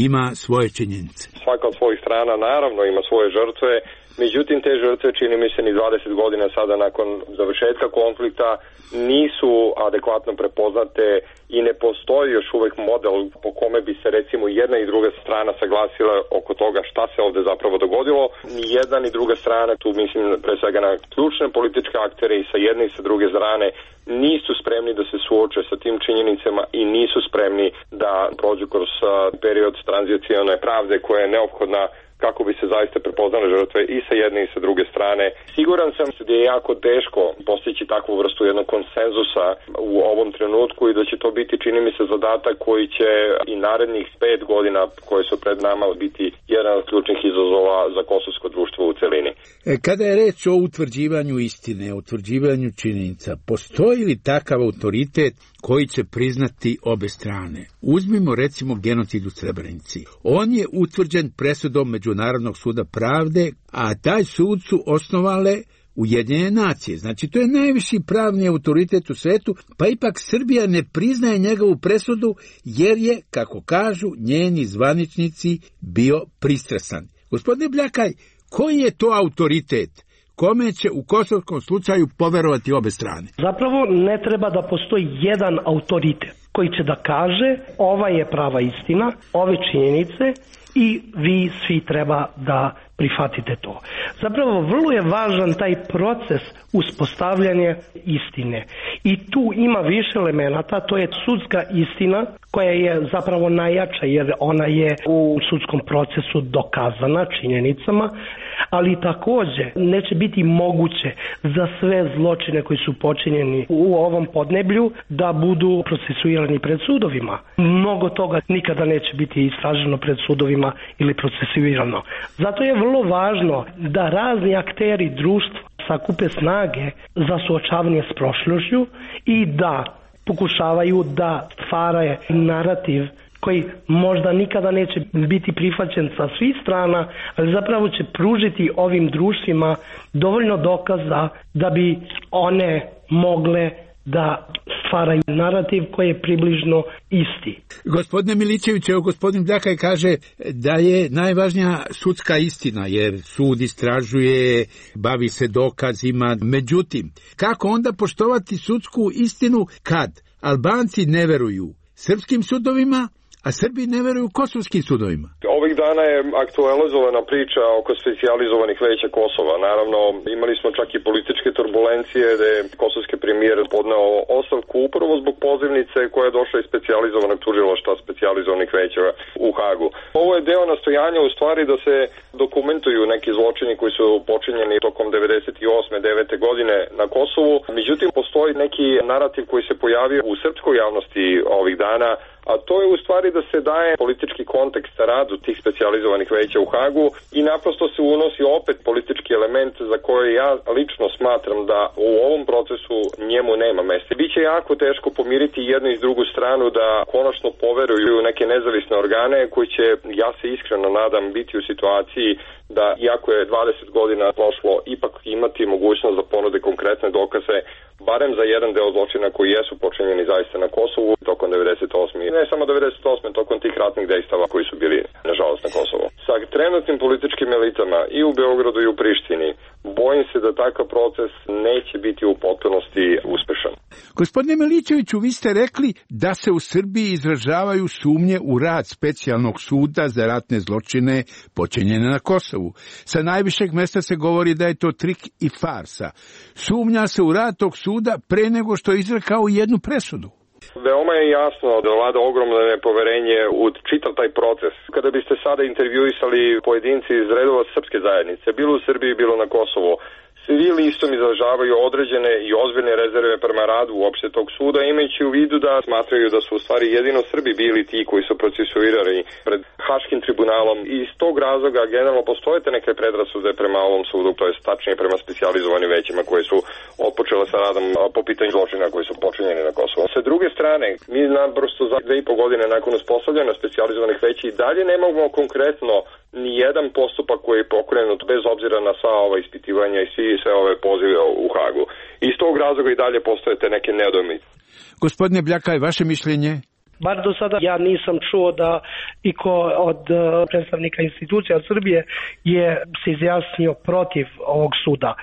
[SPEAKER 10] ima svoje činjenice?
[SPEAKER 12] Svaka od svojih strana naravno ima svoje žrtve, međutim te žrtve, čini mi se, ni dvadeset godina sada nakon završetka konflikta nisu adekvatno prepoznate i ne postoji još uvek model po kome bi se recimo jedna i druga strana saglasila oko toga šta se ovde zapravo dogodilo. Ni jedna ni druga strana, tu mislim pre svega na ključne političke aktere i sa jedne i sa druge strane, nisu spremni da se suoče sa tim činjenicama i nisu spremni da prođu kroz period tranzicione pravde koja je neophodna kako bi se zaista prepoznale žrtve i sa jedne i sa druge strane. Siguran sam da je jako teško postići takvu vrstu jednog konsenzusa u ovom trenutku i da će to biti, čini mi se, zadatak koji će i narednih pet godina koje su pred nama biti jedan od ključnih izazova za kosovsko društvo u celini.
[SPEAKER 10] E, kada je reč o utvrđivanju istine, o utvrđivanju činjenica, postoji li takav autoritet koji će priznati obe strane? Uzmimo recimo genocid u Srebrenici. On je utvrđen presudom Međunarodnog suda pravde, a taj sud su osnovale Ujedinjene nacije. Znači, to je najviši pravni autoritet u svetu, pa ipak Srbija ne priznaje njegovu presudu, jer je, kako kažu, njeni zvaničnici bio pristrasan. Gospodine Bljakaj, koji je to autoritet kome će u kosovskom slučaju poverovati obe strane?
[SPEAKER 11] Zapravo ne treba da postoji jedan autoritet koji će da kaže ova je prava istina, ove činjenice i vi svi treba da prihvatite to. Zapravo vrlo je važan taj proces uspostavljanja istine. I tu ima više elemenata, to je sudska istina koja je zapravo najjača jer ona je u sudskom procesu dokazana činjenicama, ali takođe neće biti moguće za sve zločine koji su počinjeni u ovom podneblju da budu procesuirani pred sudovima. Mnogo toga nikada neće biti istraženo pred sudovima ili procesuirano. Zato je vrlo važno da razni akteri društva sakupe snage za suočavanje s prošlošću i da pokušavaju da stvaraju narativ koji možda nikada neće biti prihvaćen sa svih strana, ali zapravo će pružiti ovim društvima dovoljno dokaza da bi one mogle da stvaraju narativ koji je približno isti.
[SPEAKER 10] Gospodine Milićević, evo gospodin Bljakaj kaže da je najvažnija sudska istina, jer sud istražuje, bavi se dokazima. Međutim, kako onda poštovati sudsku istinu kad Albanci ne veruju srpskim sudovima, a Srbi ne veruju kosovskim sudovima?
[SPEAKER 12] Ovih dana je aktualizovana priča oko specijalizovanih veća Kosova. Naravno, imali smo čak i političke turbulencije da je kosovski premijer podneo ostavku upravo zbog pozivnice koja je došla iz specijalizovanog tužilaštva specijalizovanih veća u Hagu. Ovo je deo nastojanja u stvari da se dokumentuju neki zločini koji su počinjeni tokom devedeset osme devete godine na Kosovu. Međutim, postoji neki narativ koji se pojavio u srpskoj javnosti ovih dana, a to je u stvari da se daje politički kontekst radu tih specijalizovanih veća u Hagu i naprosto se unosi opet politički element za koje ja lično smatram da u ovom procesu njemu nema mesta. Biće jako teško pomiriti jednu i drugu stranu da konačno poveruju neke nezavisne organe koji će, ja se iskreno nadam, biti u situaciji da, iako je dvadeset godina prošlo, ipak imati mogućnost da ponude konkretne dokaze barem za jedan deo zločina koji jesu počinjeni zaista na Kosovu tokom devedeset osme. Ne samo devedeset osme, tokom tih ratnih dejstava koji su bili, nažalost, na Kosovu. Sa trenutnim političkim elitama i u Beogradu i u Prištini, bojim se da takav proces neće biti u potpunosti uspešan.
[SPEAKER 10] Gospodine Milićeviću, vi ste rekli da se u Srbiji izražavaju sumnje u rad specijalnog suda za ratne zločine počinjene na Kosovu. Sa najvišeg mesta se govori da je to trik i farsa. Sumnja se u rad tog suda pre nego što je izrekao jednu presudu.
[SPEAKER 12] Veoma je jasno da vlada ogromno nepoverenje u čitav taj proces. Kada biste sada intervjuisali pojedinci iz redova srpske zajednice, bilo u Srbiji, bilo na Kosovu, svi listom izražavaju određene i ozbiljne rezerve prema radu uopšte tog suda, imajući u vidu da smatraju da su u stvari jedino Srbi bili ti koji su procesuirani pred Haškim tribunalom. I iz tog razloga generalno postojete neke predrasude prema ovom sudu, to je tačnije prema specijalizovanim većima koje su otpočele sa radom po pitanju zločina koji su počinjeni na Kosovu. Sa druge strane, mi naprosto za dve i po godine nakon uspostavljanja specijalizovanih veća i dalje nemamo konkretno ni jedan postupak koji je pokrenut bez obzira na sva ova ispitivanja i svi sve ove pozive u Hagu. Iz tog razloga i dalje postojete neke nedoumice.
[SPEAKER 10] Gospodine Bljakaj, vaše mišljenje?
[SPEAKER 11] Bar do sada ja nisam čuo da iko od predstavnika institucija Srbije je se izjasnio protiv ovog suda.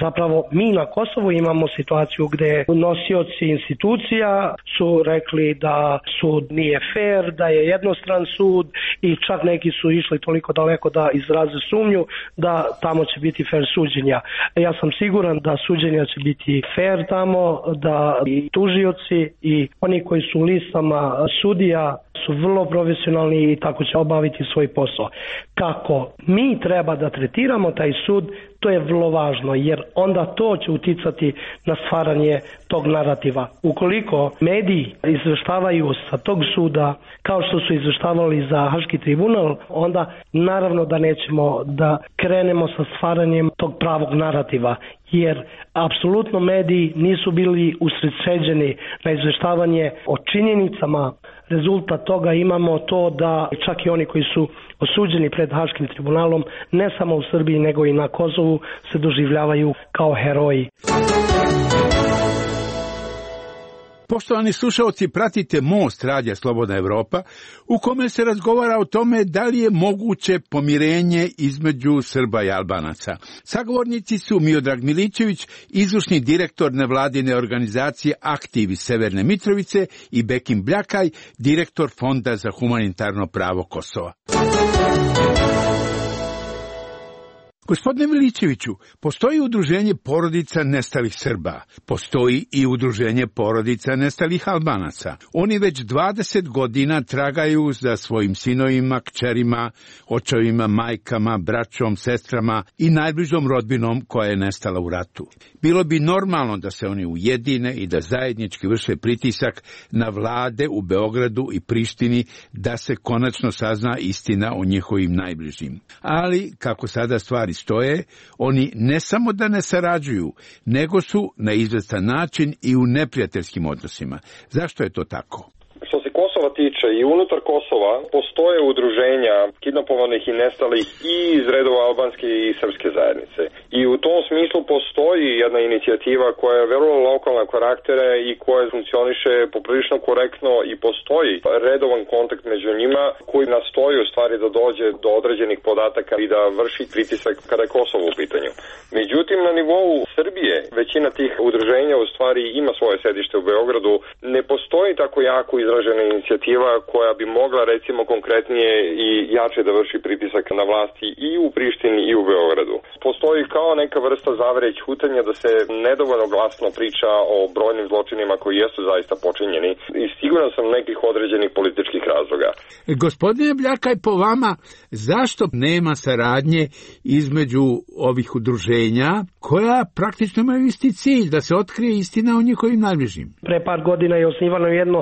[SPEAKER 11] Zapravo mi na Kosovu imamo situaciju gde nosioci institucija su rekli da sud nije fair, da je jednostran sud i čak neki su išli toliko daleko da izraze sumnju da tamo će biti fair suđenja. Ja sam siguran da suđenja će biti fair tamo, da i tužioci i oni koji su u listama sudija su vrlo profesionalni i tako će obaviti svoj posao. Kako mi treba da tretiramo taj sud, to je vrlo važno, jer onda to će uticati na stvaranje tog narativa. Ukoliko mediji izveštavaju sa tog suda kao što su izveštavali za Haški tribunal, onda naravno da nećemo da krenemo sa stvaranjem tog pravog narativa, jer apsolutno mediji nisu bili usredsređeni na izveštavanje o činjenicama rezultat toga imamo to da čak i oni koji su osuđeni pred Haškim tribunalom, ne samo u Srbiji nego i na Kosovu, se doživljavaju kao heroji.
[SPEAKER 10] Poštovani slušalci, pratite Most radija Slobodna Evropa, u kome se razgovara o tome da li je moguće pomirenje između Srba i Albanaca. Sagovornici su Miodrag Milićević, izvršni direktor nevladine organizacije Aktiv iz Severne Mitrovice, i Bekim Bljakaj, direktor Fonda za humanitarno pravo Kosova. Gospodine Milićeviću, postoji udruženje porodica nestalih Srba, postoji i udruženje porodica nestalih Albanaca. Oni već dvadeset godina tragaju za svojim sinovima, kćerima, očevima, majkama, braćom, sestrama i najbližom rodbinom koja je nestala u ratu. Bilo bi normalno da se oni ujedine i da zajednički vrše pritisak na vlade u Beogradu i Prištini da se konačno sazna istina o njihovim najbližim. Ali, kako sada stvari stoje, oni ne samo da ne sarađuju, nego su na izvestan način i u neprijateljskim odnosima. Zašto je to tako?
[SPEAKER 12] Što se Kosova tiče, i unutar Kosova postoje udruženja kidnapovanih i nestalih i iz redova albanske i srpske zajednice. I u tom smislu postoji jedna inicijativa koja je vrlo lokalna karaktera i koja funkcioniše poprilično korektno i postoji redovan kontakt među njima koji nastoji u stvari da dođe do određenih podataka i da vrši pritisak kada je Kosovo u pitanju. Međutim, na nivou Srbije većina tih udruženja u stvari ima svoje sedište u Beogradu. Ne postoji tako jako izražena inicijativa koja bi mogla recimo konkretnije i jače da vrši pritisak na vlasti i u Prištini i u Beogradu. Postoji kao neka vrsta zavere ćutanja da se nedovoljno glasno priča o brojnim zločinima koji jesu zaista počinjeni i siguran sam nekih određenih političkih razloga.
[SPEAKER 10] Gospodine Bljakaj, po vama, zašto nema saradnje između ovih udruženja koja praktično imaju isti cilj, da se otkrije istina o njihovim najbližim?
[SPEAKER 11] Pre par godina je osnivano jedno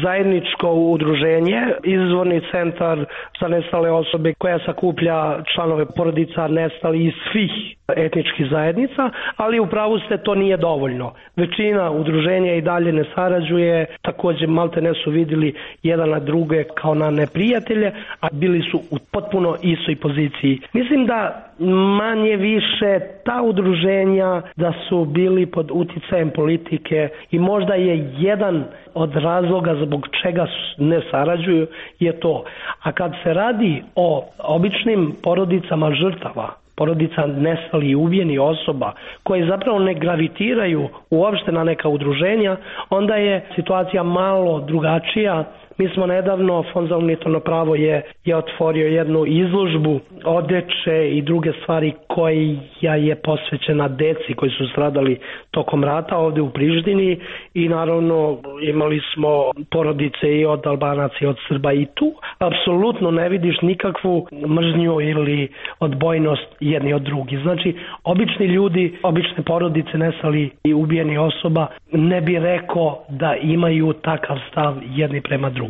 [SPEAKER 11] zajedničko udruženje, izvorni centar za nestale osobe koja sakuplja članove porodica nestali iz svih etničkih zajednica, ali u pravu ste, to nije dovoljno. Većina udruženja i dalje ne sarađuje, također malte ne su vidjeli jedan na druge kao na neprijatelje, a bili su u potpuno istoj poziciji. Mislim da manje više ta udruženja da su bili pod uticajem politike i možda je jedan od razloga zbog čega ne sarađuju je to. A kad se radi o običnim porodicama žrtava, porodica nestalih i ubijenih osoba koje zapravo ne gravitiraju uopšte na neka udruženja, onda je situacija malo drugačija. Mi smo nedavno, Fond za humanitarno pravo je, je otvorio jednu izložbu odeće i druge stvari koja je posvećena deci koji su stradali tokom rata ovdje u Prištini i naravno imali smo porodice i od Albanaca i od Srba i tu apsolutno ne vidiš nikakvu mržnju ili odbojnost jedni od drugih. Znači, obični ljudi, obične porodice nestali i ubijeni osoba ne bi rekao da imaju takav stav jedni prema drugima.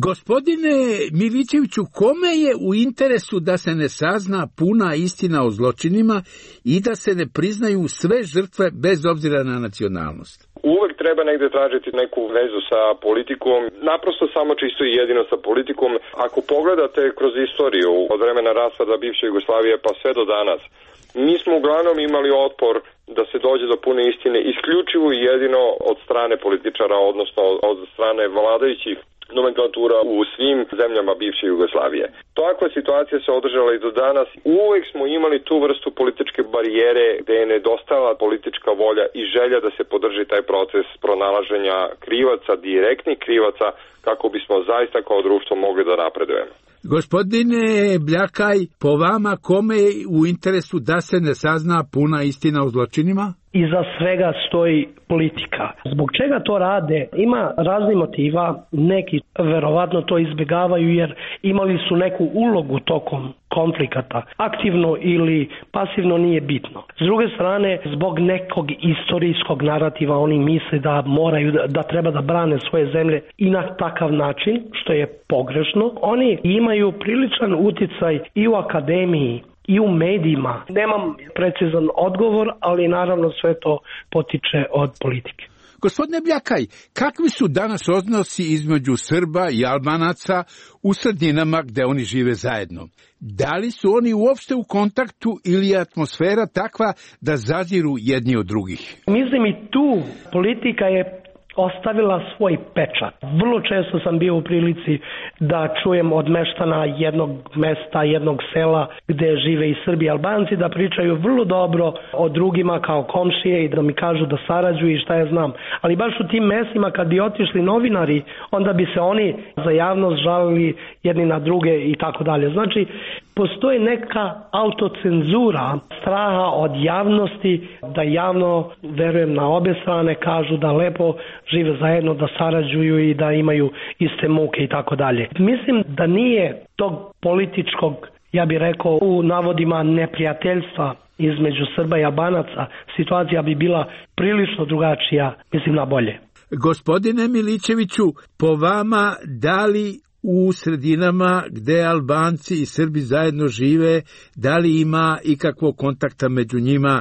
[SPEAKER 10] Gospodine Milićeviću, kome je u interesu da se ne sazna puna istina o zločinima i da se ne priznaju sve žrtve bez obzira na nacionalnost?
[SPEAKER 12] Uvek treba negde tražiti neku vezu sa politikom, naprosto samo čisto i jedino sa politikom. Ako pogledate kroz istoriju od vremena raspada bivše Jugoslavije pa sve do danas, mi smo uglavnom imali otpor da se dođe do pune istine isključivo i jedino od strane političara, odnosno od strane vladajućih nomenklatura u svim zemljama bivše Jugoslavije. Takva situacija se održala i do danas. Uvek smo imali tu vrstu političke barijere gde je nedostajala politička volja i želja da se podrži taj proces pronalaženja krivaca, direktnih krivaca, kako bismo zaista kao društvo mogli da napredujemo.
[SPEAKER 10] Gospodine Bljakaj, po vama kome je u interesu da se ne sazna puna istina o zločinima?
[SPEAKER 11] Iza svega stoji politika. Zbog čega to rade? Ima raznih motiva, neki verovatno to izbjegavaju jer imali su neku ulogu tokom konflikata. Aktivno ili pasivno nije bitno. S druge strane, zbog nekog istorijskog narativa oni misle da moraju, da treba da brane svoje zemlje i na takav način, što je pogrešno. Oni imaju priličan uticaj i u akademiji, i u medijima. Nemam precizan odgovor, ali naravno sve to potiče od politike.
[SPEAKER 10] Gospodine Bljakaj, kakvi su danas odnosi između Srba i Albanaca u sredinama gde oni žive zajedno? Da li su oni uopšte u kontaktu ili je atmosfera takva da zaziru jedni od drugih?
[SPEAKER 11] Mislim i tu politika je ostavila svoj pečat. Vrlo često sam bio u prilici da čujem od meštana jednog mesta, jednog sela gde žive i Srbi i Albanci da pričaju vrlo dobro o drugima kao komšije i da mi kažu da sarađuju i šta ja znam. Ali baš u tim mestima kad bi otišli novinari, onda bi se oni za javnost žalili jedni na druge i tako dalje. Znači, postoji neka autocenzura straha od javnosti da javno, verujem na obe strane, kažu da lepo žive zajedno, da sarađuju i da imaju iste muke i tako dalje. Mislim da nije tog političkog, ja bih rekao, u navodima neprijateljstva između Srba i Albanaca, situacija bi bila prilično drugačija, mislim na bolje.
[SPEAKER 10] Gospodine Milićeviću, po vama, da li u sredinama gde Albanci i Srbi zajedno žive, da li ima ikakvog kontakta među njima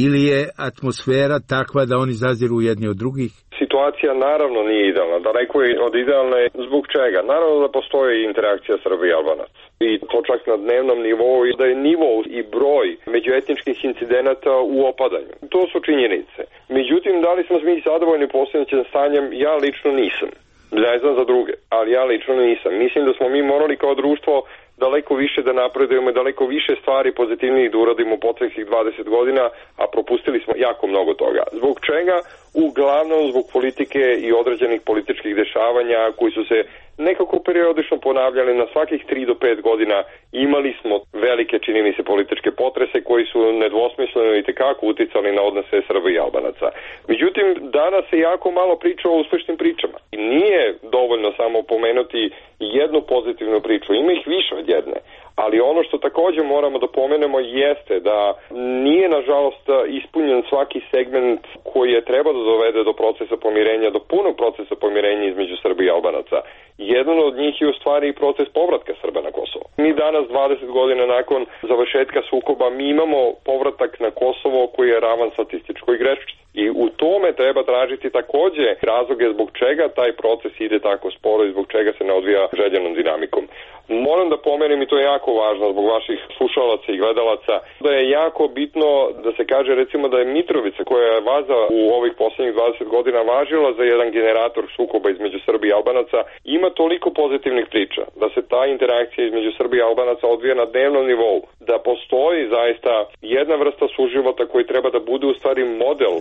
[SPEAKER 10] ili je atmosfera takva da oni zaziru jedni od drugih?
[SPEAKER 12] Situacija naravno nije idealna, daleko je od idealne. Zbog čega? Naravno da postoji interakcija Srba i Albanaca. I to čak na dnevnom nivou, i da je nivo i broj međuetničkih incidenata u opadanju. To su činjenice. Međutim, da li smo mi zadovoljni posljednjim stanjem? Ja lično nisam. Ne znam za druge, ali ja lično nisam. Mislim da smo mi morali kao društvo daleko više da napredujemo, daleko više stvari pozitivnijih da uradimo u posljednjih dvadeset godina, a propustili smo jako mnogo toga. Zbog čega? Uglavnom zbog politike i određenih političkih dešavanja koji su se nekako periodično ponavljali na svakih tri do pet godina. Imali smo velike, čini mi se, političke potrese koji su nedvosmisleno i tekako uticali na odnose Srba i Albanaca. Međutim, danas se jako malo priča o uspešnim pričama. I nije dovoljno samo pomenuti jednu pozitivnu priču, ima ih više od jedne. Ali ono što također moramo da pomenemo jeste da nije, nažalost, ispunjen svaki segment koji je trebao da dovede do procesa pomirenja, do punog procesa pomirenja između Srba i Albanaca. Jedan od njih je u stvari i proces povratka Srba na Kosovo. Mi danas, dvadeset godina nakon završetka sukoba, mi imamo povratak na Kosovo koji je ravan statističkoj grešci. I u tome treba tražiti također razloge zbog čega taj proces ide tako sporo i zbog čega se ne odvija željenom dinamikom. Moram da pomenem, i to je jako važno zbog vaših slušalaca i gledalaca, da je jako bitno da se kaže recimo da je Mitrovica, koja je vaza u ovih posljednjih dvadeset godina važila za jedan generator sukoba između Srba i Albanaca, ima toliko pozitivnih priča, da se ta interakcija između Srba i Albanaca odvija na dnevnom nivou, da postoji zaista jedna vrsta suživota koji treba da bude u stvari model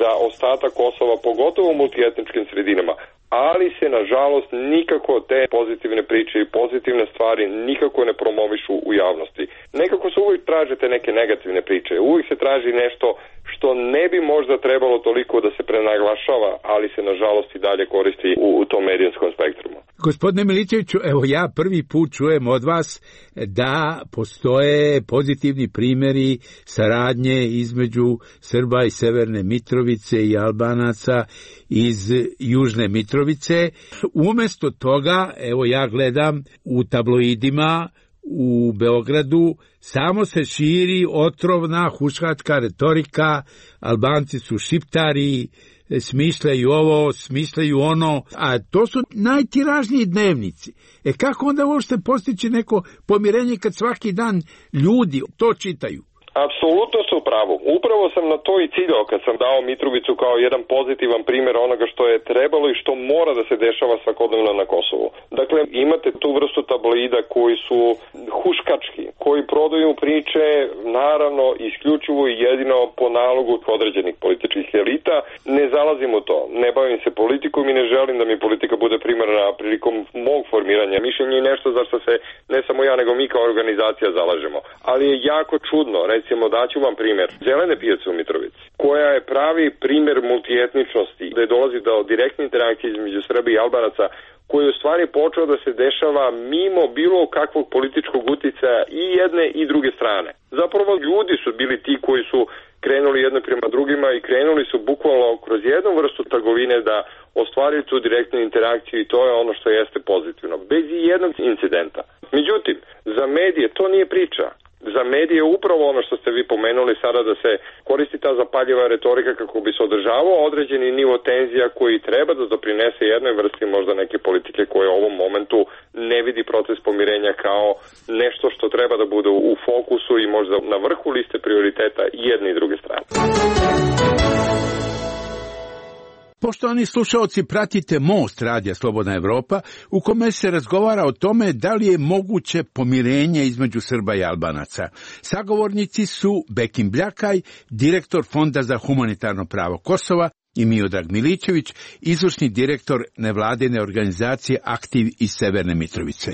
[SPEAKER 12] za ostatak Kosova, pogotovo u multietničkim sredinama, ali se nažalost nikako te pozitivne priče i pozitivne stvari nikako ne promovišu u javnosti. Nekako se uvijek traže te neke negativne priče, uvijek se traži nešto što ne bi možda trebalo toliko da se prenaglašava, ali se nažalost i dalje koristi u, u tom medijskom spektrumu.
[SPEAKER 10] Gospodine Milićeviću, evo ja prvi put čujem od vas da postoje pozitivni primjeri saradnje između Srba i Severne Mitrovice i Albanaca iz Južne Mitrovice. Umjesto toga, evo ja gledam u tabloidima u Beogradu, samo se širi otrovna huškačka retorika, Albanci su šiptari, smišljaju ovo, smišljaju ono, a to su najtiražniji dnevnici. E kako onda uopšte postići neko pomirenje kad svaki dan ljudi to čitaju?
[SPEAKER 12] Apsolutno su u pravu. Upravo sam na to i ciljao kad sam dao Mitrovicu kao jedan pozitivan primjer onoga što je trebalo i što mora da se dešava svakodnevno na Kosovu. Dakle, imate tu vrstu tabloida koji su huškački, koji prodaju priče, naravno, isključivo i jedino po nalogu određenih političkih elita. Ne zalazim u to. Ne bavim se politikom i ne želim da mi politika bude primarna prilikom mog formiranja mišljenja i nešto za što se ne samo ja, nego mi kao organizacija zalažemo. Ali je jako čudno, recimo, daću vam primjer Zelene pijace u Mitrovici, koja je pravi primjer multietničnosti, gde dolazi do direktne interakcije između Srba i Albanaca, koji je u stvari počeo da se dešava mimo bilo kakvog političkog uticaja i jedne i druge strane. Zapravo ljudi su bili ti koji su krenuli jedno prema drugima i krenuli su bukvalno kroz jednu vrstu trgovine da ostvarili tu direktnu interakciju i to je ono što jeste pozitivno, bez i jednog incidenta. Međutim, za medije to nije priča. za medije upravo ono što ste vi pomenuli sada, da se koristi ta zapaljiva retorika kako bi se održavao određeni nivo tenzija koji treba da doprinese jednoj vrsti možda neke politike koje u ovom momentu ne vidi proces pomirenja kao nešto što treba da bude u fokusu i možda na vrhu liste prioriteta i jedne i druge strane.
[SPEAKER 10] Poštovani slušaoci, pratite Most Radija Slobodna Evropa, u kome se razgovara o tome da li je moguće pomirenje između Srba i Albanaca. Sagovornici su Bekim Bljakaj, direktor Fonda za humanitarno pravo Kosova, i Miodrag Milićević, izvršni direktor nevladine organizacije Aktiv iz Severne Mitrovice.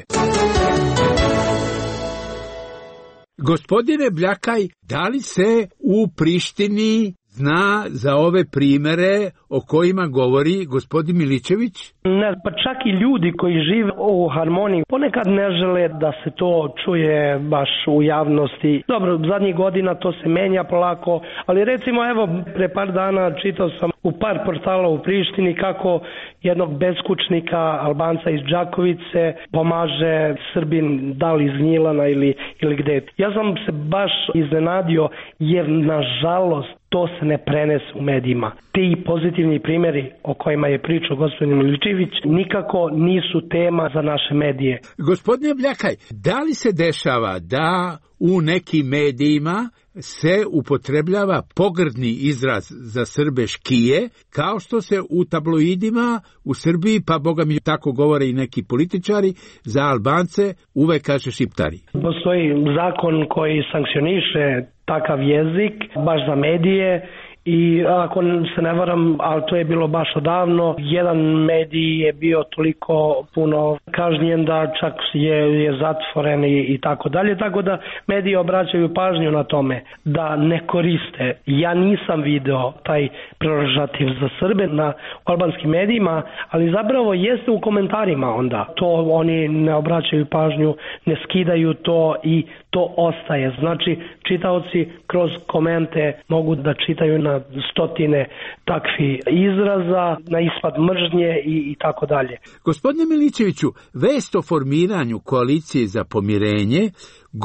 [SPEAKER 10] Gospodine Bljakaj, da li se u Prištini zna za ove primere o kojima govori gospodin Milićević?
[SPEAKER 11] Ne, pa čak i ljudi koji žive u harmoniji ponekad ne žele da se to čuje baš u javnosti. Dobro, zadnjih godina to se menja polako, ali recimo evo pre par dana čitao sam u par portala u Prištini kako jednog beskućnika Albanca iz Đakovice pomaže Srbin, da li iz Gnjilana ili, ili gde. Ja sam se baš iznenadio jer nažalost to se ne prenese u medijima. Ti pozitivni primjeri o kojima je pričao gospodin Milićević nikako nisu tema za naše medije.
[SPEAKER 10] Gospodine Bljakaj, da li se dešava da u nekim medijima se upotrebljava pogrdni izraz za Srbe škije, kao što se u tabloidima u Srbiji, pa boga mi tako govore i neki političari, za Albance uvek kaže šiptari?
[SPEAKER 11] Postoji zakon koji sankcioniše takav jezik, baš za medije, i ako se ne varam, ali to je bilo baš odavno, jedan medij je bio toliko puno kažnjen da čak je, je zatvoren i, i tako dalje, tako da mediji obraćaju pažnju na tome da ne koriste. Ja nisam video taj prerogativ za Srbe na albanskim medijima, ali zapravo jeste u komentarima onda. To oni ne obraćaju pažnju, ne skidaju to i to ostaje. Znači, čitaoci kroz komente mogu da čitaju na stotine takvi izraza, na ispad mržnje i, i tako dalje.
[SPEAKER 10] Gospodine Milićeviću, vest o formiranju koalicije za pomirenje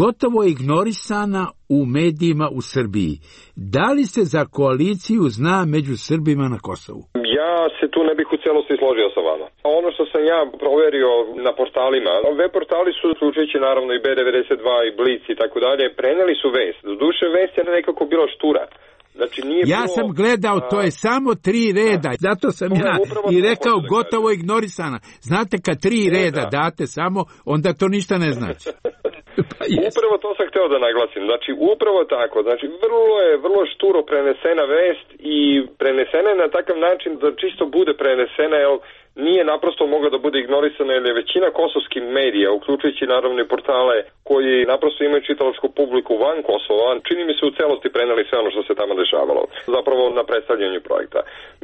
[SPEAKER 10] gotovo je ignorisana u medijima u Srbiji. Da li se za koaliciju zna među Srbima na Kosovu?
[SPEAKER 12] Ja se tu ne bih u celosti složio sa vama. Ono što sam ja proverio na portalima, web portali su, uključujući naravno i B devedeset dva i Blic i tako dalje, preneli su vest. Doduše vest je nekako bila štura. Znači, nije
[SPEAKER 10] ja
[SPEAKER 12] bilo,
[SPEAKER 10] sam gledao, to je samo tri reda, zato sam ja i rekao gotovo ignorisana. Znate, kad tri reda date samo, onda to ništa ne znači.
[SPEAKER 12] Pa upravo to sam hteo da naglasim. Znači, upravo tako. Znači, vrlo je, vrlo šturo prenesena vest i prenesena je na takav način da čisto bude prenesena, jer nije naprosto mogla da bude ignorisana, jer je većina kosovskih medija, uključujući naravno i portale koji naprosto imaju čitalačku publiku van Kosova, čini mi se u celosti preneli sve ono što se tamo dešavalo, zapravo na predstavljanju projekta.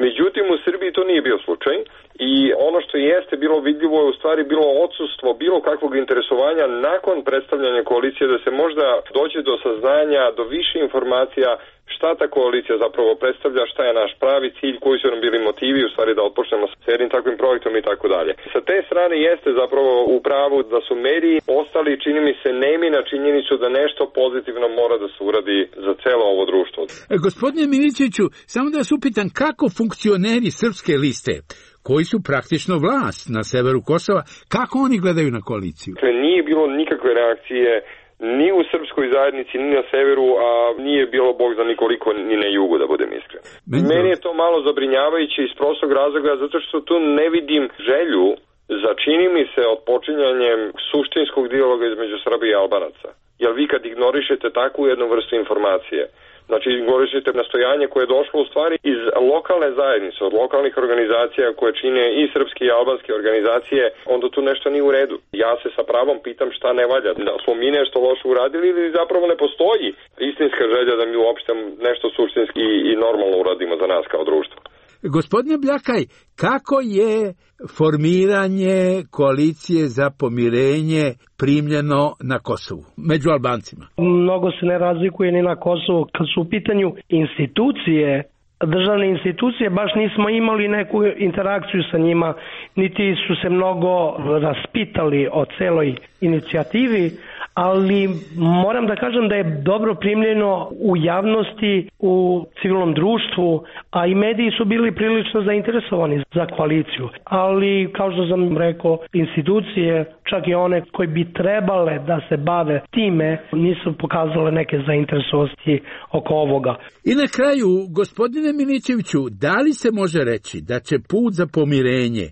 [SPEAKER 12] Međutim, u Srbiji to nije bio slučaj i ono što jeste bilo vidljivo je u stvari bilo odsustvo bilo kakvog interesovanja nakon predstavljanja koalicije da se možda dođe do saznanja, do više informacija šta ta koalicija zapravo predstavlja, šta je naš pravi cilj, koji su nam bili motivi u stvari da otpočnemo s jednim takvim projektom i tako dalje. Sa te strane jeste zapravo u pravu da su mediji ostali, čini mi se, nemi na činjenicu da nešto pozitivno mora da se uradi za celo ovo društvo.
[SPEAKER 10] E, gospodine Milićeviću, samo da vas upitam kako funkcioneri Srpske liste, koji su praktično vlast na severu Kosova, kako oni gledaju na koaliciju?
[SPEAKER 12] Dakle, nije bilo nikakve reakcije ni u srpskoj zajednici, ni na severu, a nije bilo bog za nikoliko ni na jugu, da budem iskren. Meni, Meni je to malo zabrinjavajuće iz prostog razloga, zato što tu ne vidim želju za, čini mi se, odpočinjanjem suštinskog dijaloga između Srbije i Albanaca. Jer vi kad ignorišete takvu jednu vrstu informacije, znači ignorišete nastojanje koje je došlo u stvari iz lokalne zajednice, od lokalnih organizacija koje čine i srpske i albanske organizacije, onda tu nešto nije u redu. Ja se sa pravom pitam šta ne valja. Da smo mi nešto loše uradili ili zapravo ne postoji istinska želja da mi uopšte nešto suštinski i normalno uradimo za nas kao društvo.
[SPEAKER 10] Gospodine Bljakaj, kako je formiranje koalicije za pomirenje primljeno na Kosovu, među Albancima?
[SPEAKER 11] Mnogo se ne razlikuje ni na Kosovu. Kad su u pitanju institucije, državne institucije, baš nismo imali neku interakciju sa njima, niti su se mnogo raspitali o celoj inicijativi, ali moram da kažem da je dobro primljeno u javnosti, u civilnom društvu, a i mediji su bili prilično zainteresovani za koaliciju. Ali, kao što sam rekao, institucije, čak i one koji bi trebale da se bave time, nisu pokazale neke zainteresovanosti oko ovoga.
[SPEAKER 10] I na kraju, gospodine Milićeviću, da li se može reći da će put za pomirenje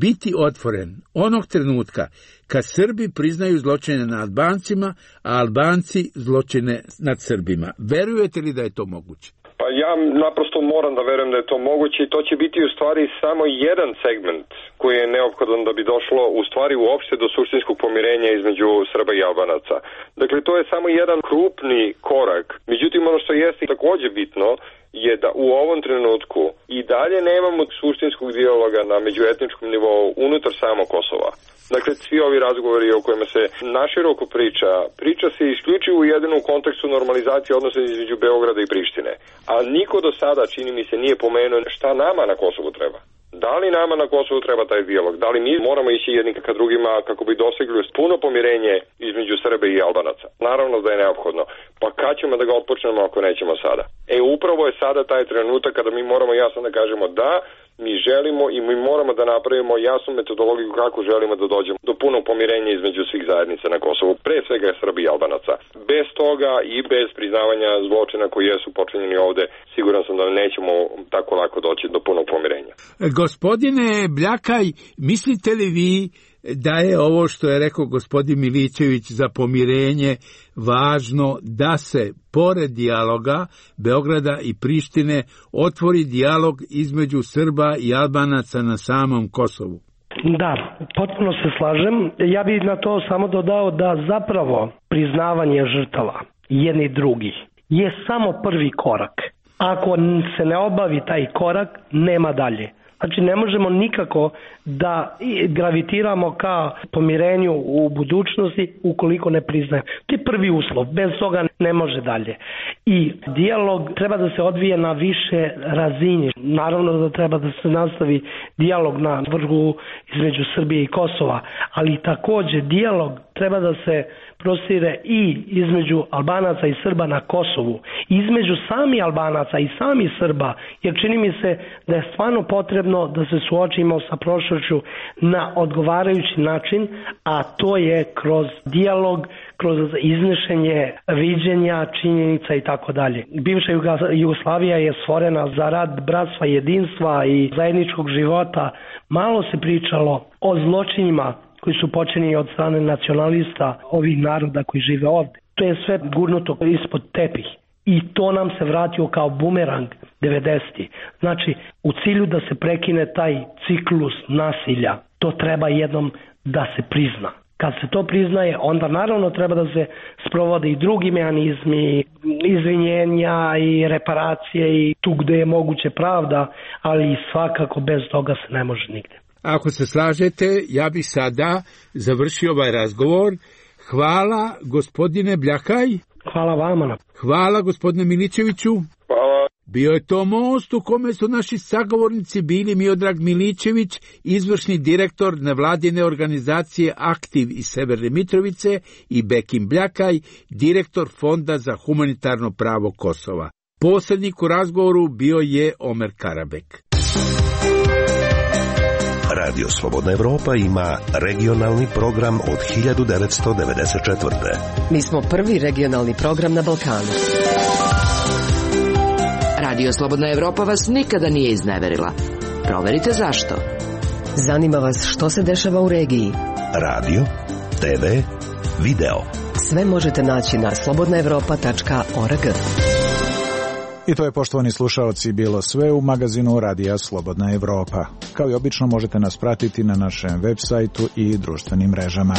[SPEAKER 10] biti otvoren onog trenutka kad Srbi priznaju zločine nad Albancima, a Albanci zločine nad Srbima? Verujete li da je to moguće?
[SPEAKER 12] Pa ja naprosto moram da verujem da je to moguće i to će biti u stvari samo jedan segment koji je neophodan da bi došlo u stvari uopšte do suštinskog pomirenja između Srba i Albanaca. Dakle, to je samo jedan krupni korak. Međutim, ono što jeste takođe bitno je da u ovom trenutku i dalje nemamo suštinskog dijaloga na međuetničkom nivou unutar samo Kosova. Dakle, svi ovi razgovori o kojima se naširoko priča, priča se isključivo jedino u kontekstu normalizacije odnosa između Beograda i Prištine. A niko do sada, čini mi se, nije pomenuo šta nama na Kosovu treba. Da li nama na Kosovu treba taj dijalog? Da li mi moramo ići jedni ka drugima kako bi dosegli puno pomirenje između Srbe i Albanaca? Naravno da je neophodno. Pa kad ćemo da ga otpočnemo ako nećemo sada? E, upravo je sada taj trenutak kada mi moramo jasno da kažemo da, mi želimo i mi moramo da napravimo jasnu metodologiju kako želimo da dođemo do punog pomirenja između svih zajednica na Kosovu, pre svega Srbi i Albanaca. Bez toga i bez priznavanja zločina koji jesu počinjeni ovde, siguran sam da nećemo tako lako doći do punog pomirenja.
[SPEAKER 10] Gospodine Bljakaj, mislite li vi da je ovo što je rekao gospodin Milićević za pomirenje važno da se pored dijaloga Beograda i Prištine otvori dijalog između Srba i Albanaca na samom Kosovu?
[SPEAKER 11] Da, potpuno se slažem. Ja bih na to samo dodao da zapravo priznavanje žrtava jedni drugih je samo prvi korak. Ako se ne obavi taj korak, nema dalje. Znači, ne možemo nikako da gravitiramo ka pomirenju u budućnosti ukoliko ne priznajemo. To je prvi uslov, bez toga ne može dalje. I dijalog treba da se odvije na više razini. Naravno da treba da se nastavi dijalog na vrhu između Srbije i Kosova, ali takođe dijalog treba da se prostire i između Albanaca i Srba na Kosovu, između sami Albanaca i sami Srba, jer čini mi se da je stvarno potrebno da se suočimo sa prošlošću na odgovarajući način, a to je kroz dijalog, kroz iznešenje viđenja, činjenica i tako dalje. Bivša Jugoslavija je stvorena za rad bratstva, jedinstva i zajedničkog života. Malo se pričalo o zločinima koji su počinjeni od strane nacionalista ovih naroda koji žive ovde. To je sve gurnuto ispod tepih. I to nam se vratio kao bumerang devedesetih. Znači, u cilju da se prekine taj ciklus nasilja, to treba jednom da se prizna. Kad se to priznaje, onda naravno treba da se sprovode i drugi mehanizmi, izvinjenja i reparacije i tu gde je moguće pravda, ali svakako bez toga se ne može nigde.
[SPEAKER 10] Ako se slažete, ja bih sada završio ovaj razgovor. Hvala, gospodine Bljakaj.
[SPEAKER 11] Hvala vama.
[SPEAKER 10] Hvala, gospodine Milićeviću.
[SPEAKER 12] Hvala.
[SPEAKER 10] Bio je to most u kome su naši sagovornici bili Miodrag Milićević, izvršni direktor nevladine organizacije Aktiv iz Severne Mitrovice, i Bekim Bljakaj, direktor Fonda za humanitarno pravo Kosova. Posrednik u razgovoru bio je Omer Karabek.
[SPEAKER 2] Radio Slobodna Evropa ima regionalni program od hiljadu devetsto devedeset četvrte.
[SPEAKER 5] Mi smo prvi regionalni program na Balkanu.
[SPEAKER 18] Radio Slobodna Evropa vas nikada nije izneverila. Proverite zašto.
[SPEAKER 5] Zanima vas što se dešava u regiji.
[SPEAKER 2] Radio, te ve, video.
[SPEAKER 5] Sve možete naći na slobodna evropa tačka org.
[SPEAKER 9] I to je, poštovani slušaoci, bilo sve u magazinu Radija Slobodna Evropa. Kao i obično možete nas pratiti na našem web sajtu i društvenim mrežama.